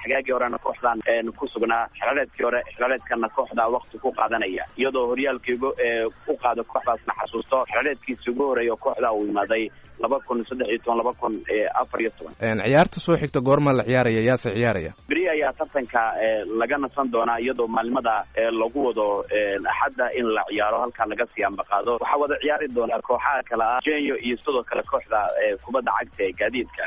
Xagaagii horena kooxdan ku sugnaa, xilcaleedkii hore xilcaleedkana kooxda waqti ku qaadanaya, iyadoo horyaalkii u qaado kooxdaasna xasuusto xilcaleedkiisi ugu horeeya kooxda uu imaaday laba kun saddex iyo toban laba kun afar iyo toban. Ciyaarta soo xigta goorma la ciyaaraya, yaase ciyaaraya? Beri ayaa tartanka laga nasan doonaa, iyadoo maalimada lagu wado Axadda in la ciyaaro, halkaa laga sii ambaqaado. Waxaa wada ciyaari doonaa kooxaha kale ah Jenyo iyo sidoo kale kooxda kubadda cagta ee Gaadiidka,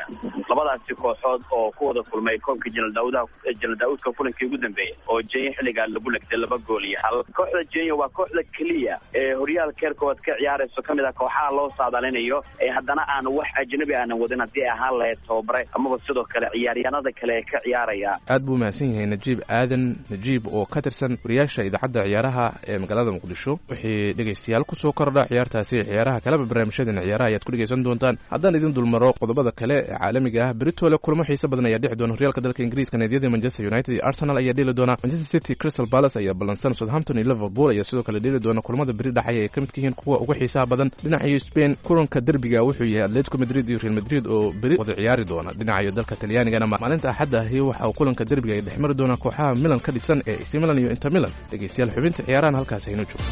labadaasi kooxood oo ku wada kulmay koobka Jenal Daawudaha Jenal Daawudka kulankii ugu dambeeyay oo Jenyo xilligaa lagu legtay laba gool iyo hal. Kooxda Jenyo waa kooxda keliya ee horyaalka heer koowaad ka ciyaarayso kamid ah kooxaha loo saadaalinayo ee haddana aan wax ajnabi aanan wadin haddii ahaan lahayd tababare amaba sidoo kale ciyaaryahanada kale ee ka ciyaaraya. Aad buu mahadsan yahay Najiib Aadan Najiib oo ka tirsan wariyaasha idaacadda ciyaaraha ee magaalada Muqdisho. Wixii dhegaystayaal kusoo kordha ciyaartaasi ciyaaraha kaleba barnaamijyadeena ciyaaraha ayaad ku dhegaysan doontaan. Haddaan idin dulmaro qodobada kale ee caalamiga ah, beritole kulamo xiiso badan ayaa dhici doona horyaalka dalka Ingiriiska. Naadiyada Manchester United iyo Arsenal ayaa dheeli doona. Manchester City Crystal Palace ayaa ballansan. Southampton iyo Liverpool ayaa sidoo kale dheeli doona. Kulamada beri dhexaya ay ka midka yihiin kuwa ugu xiisaha badan. Dhinaca Spain kulanka derbiga wuxuu yahay Atletico Madrid iyo Real Madrid oo beri wada ciyaari doona. Dhinaca dalka Talyaanigana maalinta Axadda ahi waxa uu kulanka derbiga ay dhexmari doonaa kooxaha Milan ka dhisan ee A C Milan iyo Inter Milan. Dhegeystayaal, xubinta ciyaarahan halkaas haynu joogo.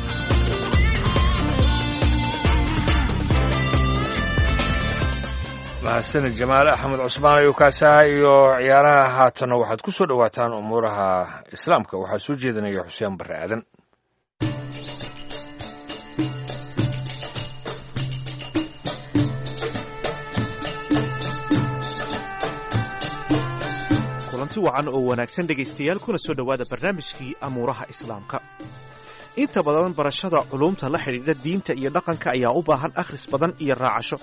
Mahadsanid Jamaal Axmed Cusmaan ayuu kaasaha iyo ciyaaraha. Haatanna waxaad ku soo dhowaataan umuuraha islaamka, waxaa soo jeedinaya Xuseen Barre Aadan. Kulanti wacan oo wanaagsan dhegaystayaal, kuna soo dhowaada barnaamijkii amuuraha islaamka. Inta badan barashada culuumta la xidhiidha diinta iyo dhaqanka ayaa u baahan akhris badan iyo raacasho,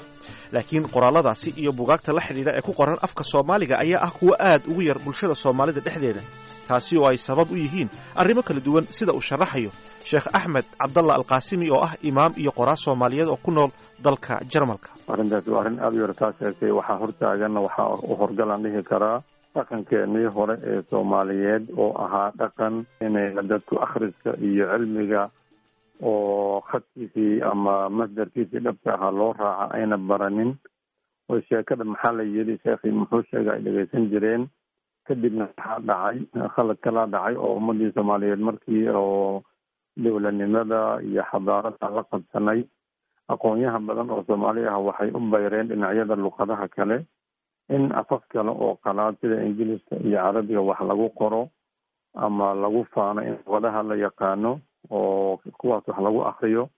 laakiin qoraalladaasi iyo bugaagta la xidhiidha ee ku qoran afka Soomaaliga ayaa ah kuwo aad ugu yar bulshada Soomaalida dhexdeeda, taasi oo ay sabab u yihiin arrimo kala duwan, sida uu sharaxayo Sheekh Axmed Cabdalla Alqaasimi oo ah imaam iyo qoraa Soomaaliyeed oo ku nool dalka Jarmalka. Arrintaasi waa arrin aada u yar, taa sheegtay. Waxaa hortaaganna waxaa u horgalaan dhihi karaa Dhaqankeenii hore ee Soomaaliyeed oo ahaa dhaqan inayna dadku akhriska iyo cilmiga oo khadkiisii ama masdarkiisii dhabta ahaa loo raaca ayna baranin, oo sheekada maxaa la yidhi, sheekhii muxuu sheega ay dhegeysan jireen. Kadibna waxaa dhacay khalad kalaa dhacay oo ummadii Soomaaliyeed markii oo dowladnimada iyo xadaarada la qabsanay, aqoonyaha badan oo Soomaali ah waxay u bayreen dhinacyada luqadaha kale, in afaf kale oo qalaad sida Ingiliiska iyo Carabiga wax lagu qoro ama lagu faano in luqadaha la yaqaano oo kuwaas wax lagu akriyo.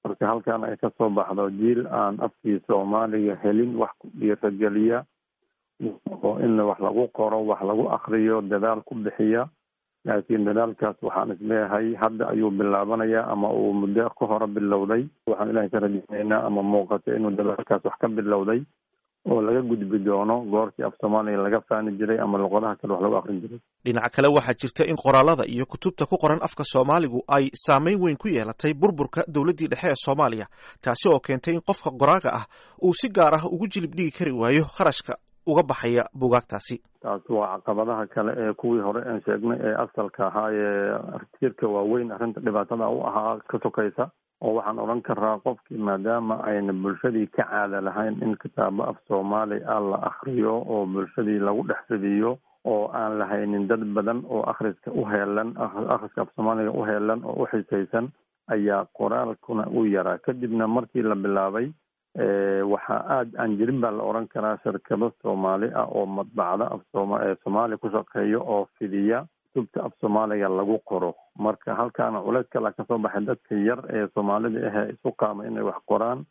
Marka halkan ay kasoo baxdo jiil aan afkii Soomaaliga helin wax ku dhiirageliya oo in wax lagu qoro, wax lagu akriyo dadaal ku bixiya. Laakiin dadaalkaas waxaan isleeyahay hadda ayuu bilaabanayaa ama uu muddo ka hore bilowday. Waxaan Ilahay ka rajaynaynaa ama muuqata inuu dadaalkaas wax ka bilowday oo laga gudbi doono goortii af Soomaaliga laga faani jiray ama luqadaha kale wax lagu akrin jiray. Dhinaca kale, waxaa jirta in qoraalada iyo kutubta ku qoran afka Soomaaligu ay saameyn weyn ku yeelatay burburka dowladdii dhexe ee Soomaaliya, taasi oo keentay in qofka qoraaga ah uu si gaar ah ugu jilib dhigi kari waayo kharashka uga baxaya buugaagtaasi. Taas waa caqabadaha kale ee kuwii hore aan sheegnay ee asalka ahaa ee tiirka waaweyn arrinta dhibaatada u ahaa ka sokaysa, oo waxaan odhan karaa qofkii maadaama ayna bulshadii ka caada lahayn in kitaabo af Soomaali ah la akriyo oo bulshadii lagu dhex fidiyo, oo aan lahaynin dad badan oo akhriska u heelan, akhriska af Soomaaliga u heelan oo u xisaysan, ayaa qoraalkuna u yaraa. Kadibna markii la bilaabay, waxaa aada aan jirin baa la odhan karaa shirkado Soomaali ah oo madbacda af sooma Soomaali ku shaqeeya oo fidiya kutubta af Soomaaliga lagu qoro. Marka halkaana culeys kala kasoo baxay, dadka yar ee Soomaalida ahee isu qaama inay wax qoraan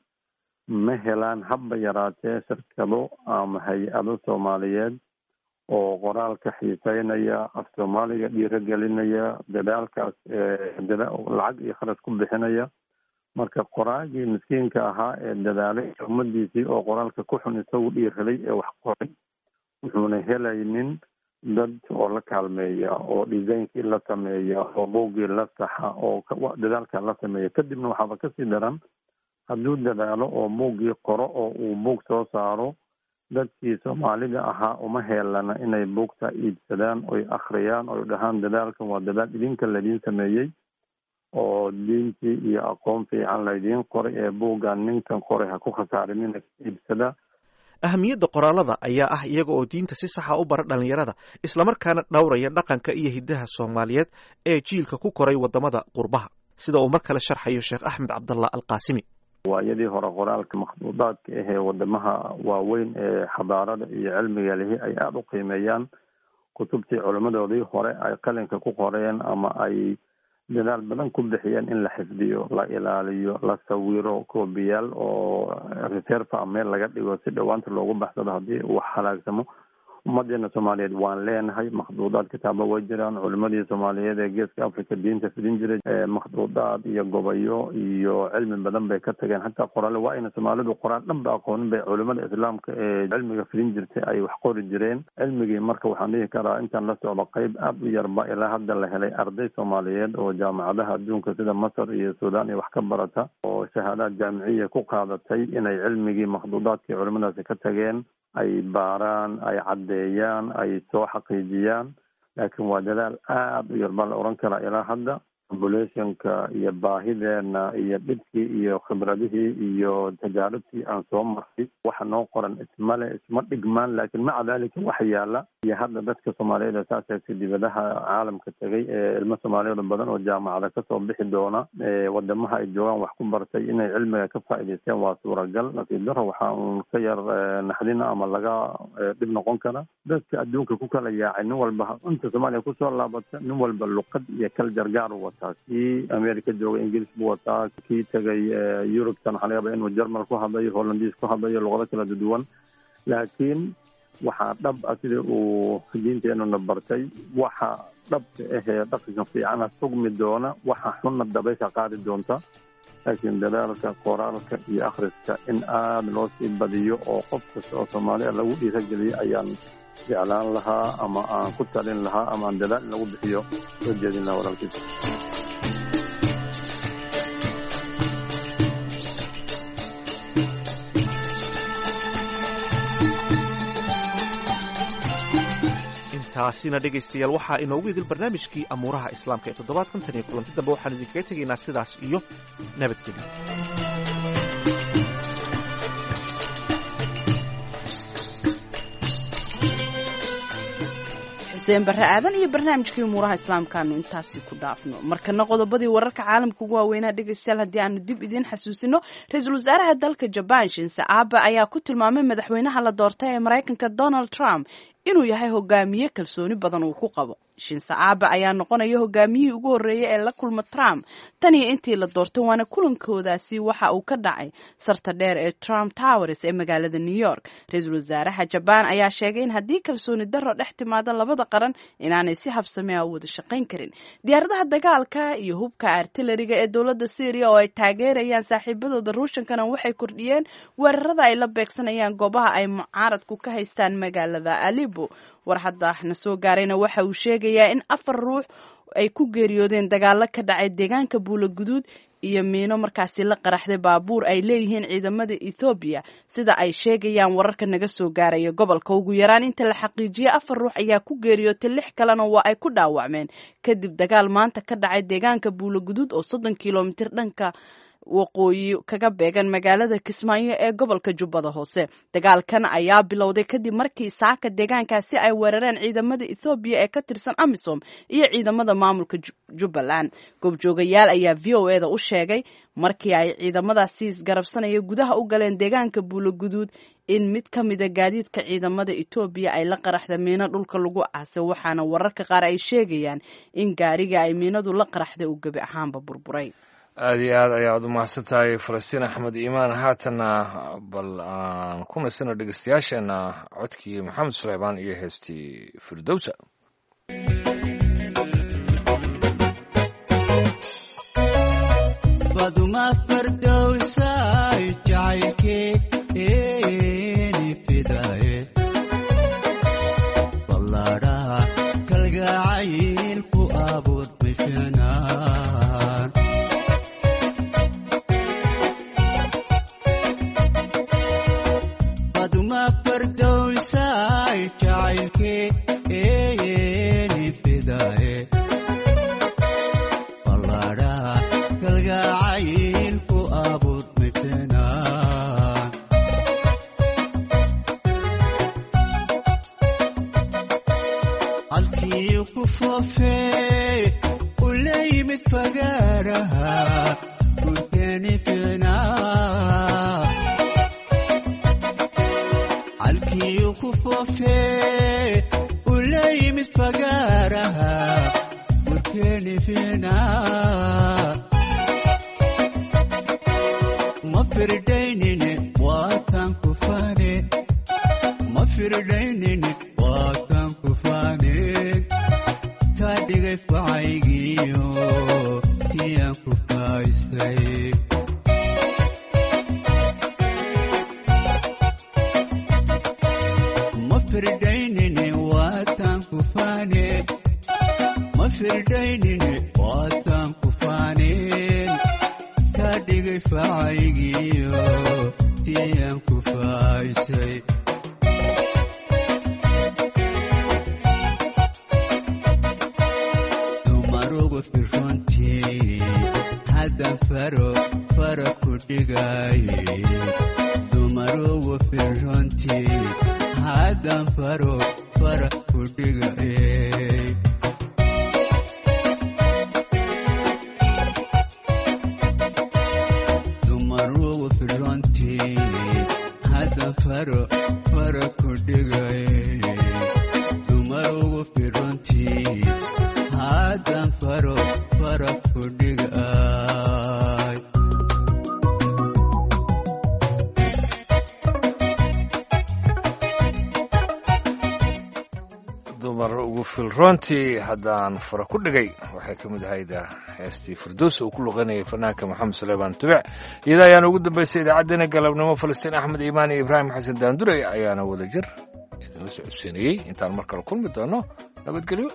ma helaan habba yaraatee shirkado ama hay-ado Soomaaliyeed oo qoraalka xiiseynaya, af Soomaaliga dhiiragelinaya, dadaalkaas lacag iyo kharash ku bixinaya. Marka qoraagii miskiinka ahaa ee dadaalay ummadiisii oo qoraalka ku xun isagu dhiiraday ee wax qoray, wuxuuna helaynin dad oo la kaalmeeya oo designkii la sameeya oo buuggii la saxa oo dadaalka la sameeya. Kadibna waxaaba kasii daran hadduu dadaalo oo buuggii qoro oo uu buug soo saaro, dadkii Soomaalida ahaa uma heelana inay buugta iibsadaan oy akhriyaan oy dhahaan dadaalkan waa dadaal idinka laidiin sameeyey oo diintii iyo aqoon fiican laydiin qoray ee buuggan ninkan qoray ha ku khasaarinina iibsada. Ahamiyadda qoraalada ayaa ah iyaga oo diinta si saxa u bara dhallinyarada, islamarkaana dhowraya dhaqanka iyo hiddaha Soomaaliyeed ee jiilka ku koray waddamada qurbaha, sida uu mar kale sharxayo Sheekh Axmed Cabdallah Alqaasimi. Waayadii hore qoraalka makhduudaadka ahee wadamaha waaweyn ee xadaarada iyo cilmiga lihi ay aada u qiimeeyaan kutubtii culimmadoodii hore ay qalinka ku qoreen ama ay dadaal badan ku bixiyeen in la xifdiyo, la ilaaliyo, la sawiro koobiyaal oo reserva meel laga dhigo si dhowaanta loogu baxsado haddii uu halaagsamo. Ummadeena Soomaaliyeed waan leenahay makhduudaad, kitaabo way jiraan. Culimadii Soomaaliyeed ee geeska Africa diinta fidin jiray makhduudaad iyo gobayo iyo cilmi badan bay ka tageen. Xataa qoraale waa ayna Soomaalidu qoraal dhan ba aqoonin bay culimada islaamka ee cilmiga fidin jirtay ay wax qori jireen cilmigii. Marka waxaan dhihi karaa intaan la socdo qeyb aada u yarba ilaa hadda la helay arday Soomaaliyeed oo jaamacadaha adduunka sida Masar iyo Suudaan iyo wax ka barata oo shahaadaad jaamiciya ku qaadatay inay cilmigii makhduudaadkii culimadaasi ka tageen ay baaraan, ay caddeeyaan, ay soo xaqiijiyaan. Laakiin waa dadaal aada u yar baa la odhan karaa ilaa hadda. Populationka iyo baahideena iyo dhibkii iyo khibradihii iyo tajaaribtii aan soo marray waxa noo qoran ismale isma dhigmaan. Laakiin maca daalika waxa yaala iyo hadda dadka Soomaaliyeed ee saas sheegtay dibadaha caalamka tegay ee ilmo Soomaaliyeed badan oo jaamacada kasoo bixi doona wadamaha ay joogaan wax ku bartay inay cilmiga ka faa'iidaysteen waa suuragal. Nasiib daro waxaa uun ka yar naxdina ama laga dhib noqon kara dadka adduunka ku kala yaacay, nin walba inta Soomaaliya kusoo laabata nin walba luqad iyo kaljar gaar u wataa. Kii America jooga Ingiriis buu wataa, kii tegay Yurubtan waxaa laga yaabaa inuu Jarmal ku hadlayo, Hollandiis ku hadlayo, luqado kala duwan. Laakiin waxaa dhab ah sida uu diinteenuna bartay, waxa dhabta ahee dhaqanka fiicana sugmi doona, waxa xunna dabaysha qaadi doonta. Laakiin dadaalka qoraalka iyo akhriska in aada loo sii badiyo oo qof kasta oo Soomaaliya lagu dhiirageliyo ayaan jeclaan lahaa ama aan ku talin lahaa ama aan dadaal in lagu bixiyo soo jeedin lahaa walaalkiisa. Intaasina dhegaystayaal waxaa inoogu idil barnaamijkii amuuraha islaamka ee toddobaadkan. Tan iyo kulanti dambe waxaan idinkaga tegaynaa sidaas iyo nabadgelyo. Xuseen Barre Aadan iyo barnaamijkii umuuraha islaamkaanu intaasi ku dhaafno. Markana qodobadii wararka caalamka ugu waaweynaa dhegaystayaal haddii aanu dib idiin xasuusino, ra-iisul wasaaraha dalka Jabaan Shinse Abe ayaa ku tilmaamay madaxweynaha la doortay ee Maraykanka Donald Trump inuu yahay hogaamiye kalsooni badan uu ku qabo. Shinse Abe ayaa noqonaya hogaamiyihii ugu horreeyay ee la kulma Trump tan iyo intii la doortay, waana kulankoodaasi waxa uu ka dhacay sarta dheer ee Trump Towers ee magaalada New York. Ra-iisul wasaaraha Jabaan ayaa sheegay in haddii kalsooni darro dhex timaado labada qaran inaanay si habsame ah u wada shaqayn karin. Diyaaradaha dagaalka iyo hubka artilleriga ee dowladda Syria oo ay taageerayaan saaxiibadooda Ruushankana waxay kordhiyeen weerarada ay la beegsanayaan goobaha ay mucaaradku ka haystaan magaalada Aleppo. War hadda na soo gaarayna waxa uu sheegayaa in afar ruux ay ku geeriyoodeen dagaalo ka dhacay deegaanka Buulo Guduud iyo miino markaasi la qaraxday baabuur ay leeyihiin ciidamada Ethoobiya, sida ay sheegayaan wararka naga soo gaaraya gobolka. Ugu yaraan inta la xaqiijiyay afar ruux ayaa ku geeriyootay, lix kalena waa ay ku dhaawacmeen kadib dagaal maanta ka dhacay deegaanka Buulo Guduud oo soddon kilomitir dhanka waqooyi kaga beegan magaalada Kismaayo ee gobolka Jubbada Hoose. Dagaalkan ayaa bilowday kadib markii saaka deegaankaasi ay weerareen ciidamada Ethoobiya ee ka tirsan AMISOM iyo ciidamada maamulka Jubbaland. Goobjoogayaal ayaa V O E da u sheegay markii ay ciidamadaasi isgarabsanaya gudaha u galeen deegaanka Buulo Guduud in mid ka mida gaadiidka ciidamada Etoobiya ay la qaraxda miino dhulka lagu aasay, waxaana wararka qaar ay sheegayaan in gaariga ay miinadu la qaraxday uu gebi ahaanba burburay. Aada iyo aad ayaad u mahadsan tahay Falastiin Axmed Iimaan. Haatanna bal aan ku nasino dhegeystayaasheenna codkii Maxamed Suleymaan iyo heestii Firdowsa. Baduma fardowsay jacaylkeeni fidaye, ballaadhaha kalgacayl ku abuur bishanaan. Baduma fardowsay jacaylkeeni fidaye, ballaadhaha kalgacayl ku abuur bishanaan. Halkii ku foofee u la yimid fagaaraha gurteeni ficnaa, halkii ku foofee u la yimid fagaaraha gurteeni ficnaa. Ma firdaynine waatan ku faane, ma firdaynine waatan ku faane, ka dhigay facaygiyo tiyaan ku faaysay. Ma firdaynine waatan ku faane, ma firdaynine waatan ku faaneen, ka dhigay facaygiyo tiyaan ku faaysay. Dumarugu firrontii haddan faro fara ku dhigaye, dumarugu firrontii haddan faro fara ku dhigaye. Dumarugu firrontii haddan faro fara ku dhigaye, dumarugu firrontii haddan faro fara ku dhigay. Dumar ugu filroontii haddaan fara ku dhigay waxay ka mid ahayd heestii Firdows uu ku luqanayay fanaanka Maxamed Suleymaan Tubic. Iyada ayaana ugu dambaysay idaacaddeenna galabnimo. Falastiin Axmed Iimaan iyo Ibraahim Xasan Daandurey ayaana wada jir idinla socodsiinayey. Intaan mar kale kulmi doono, nabadgelyo.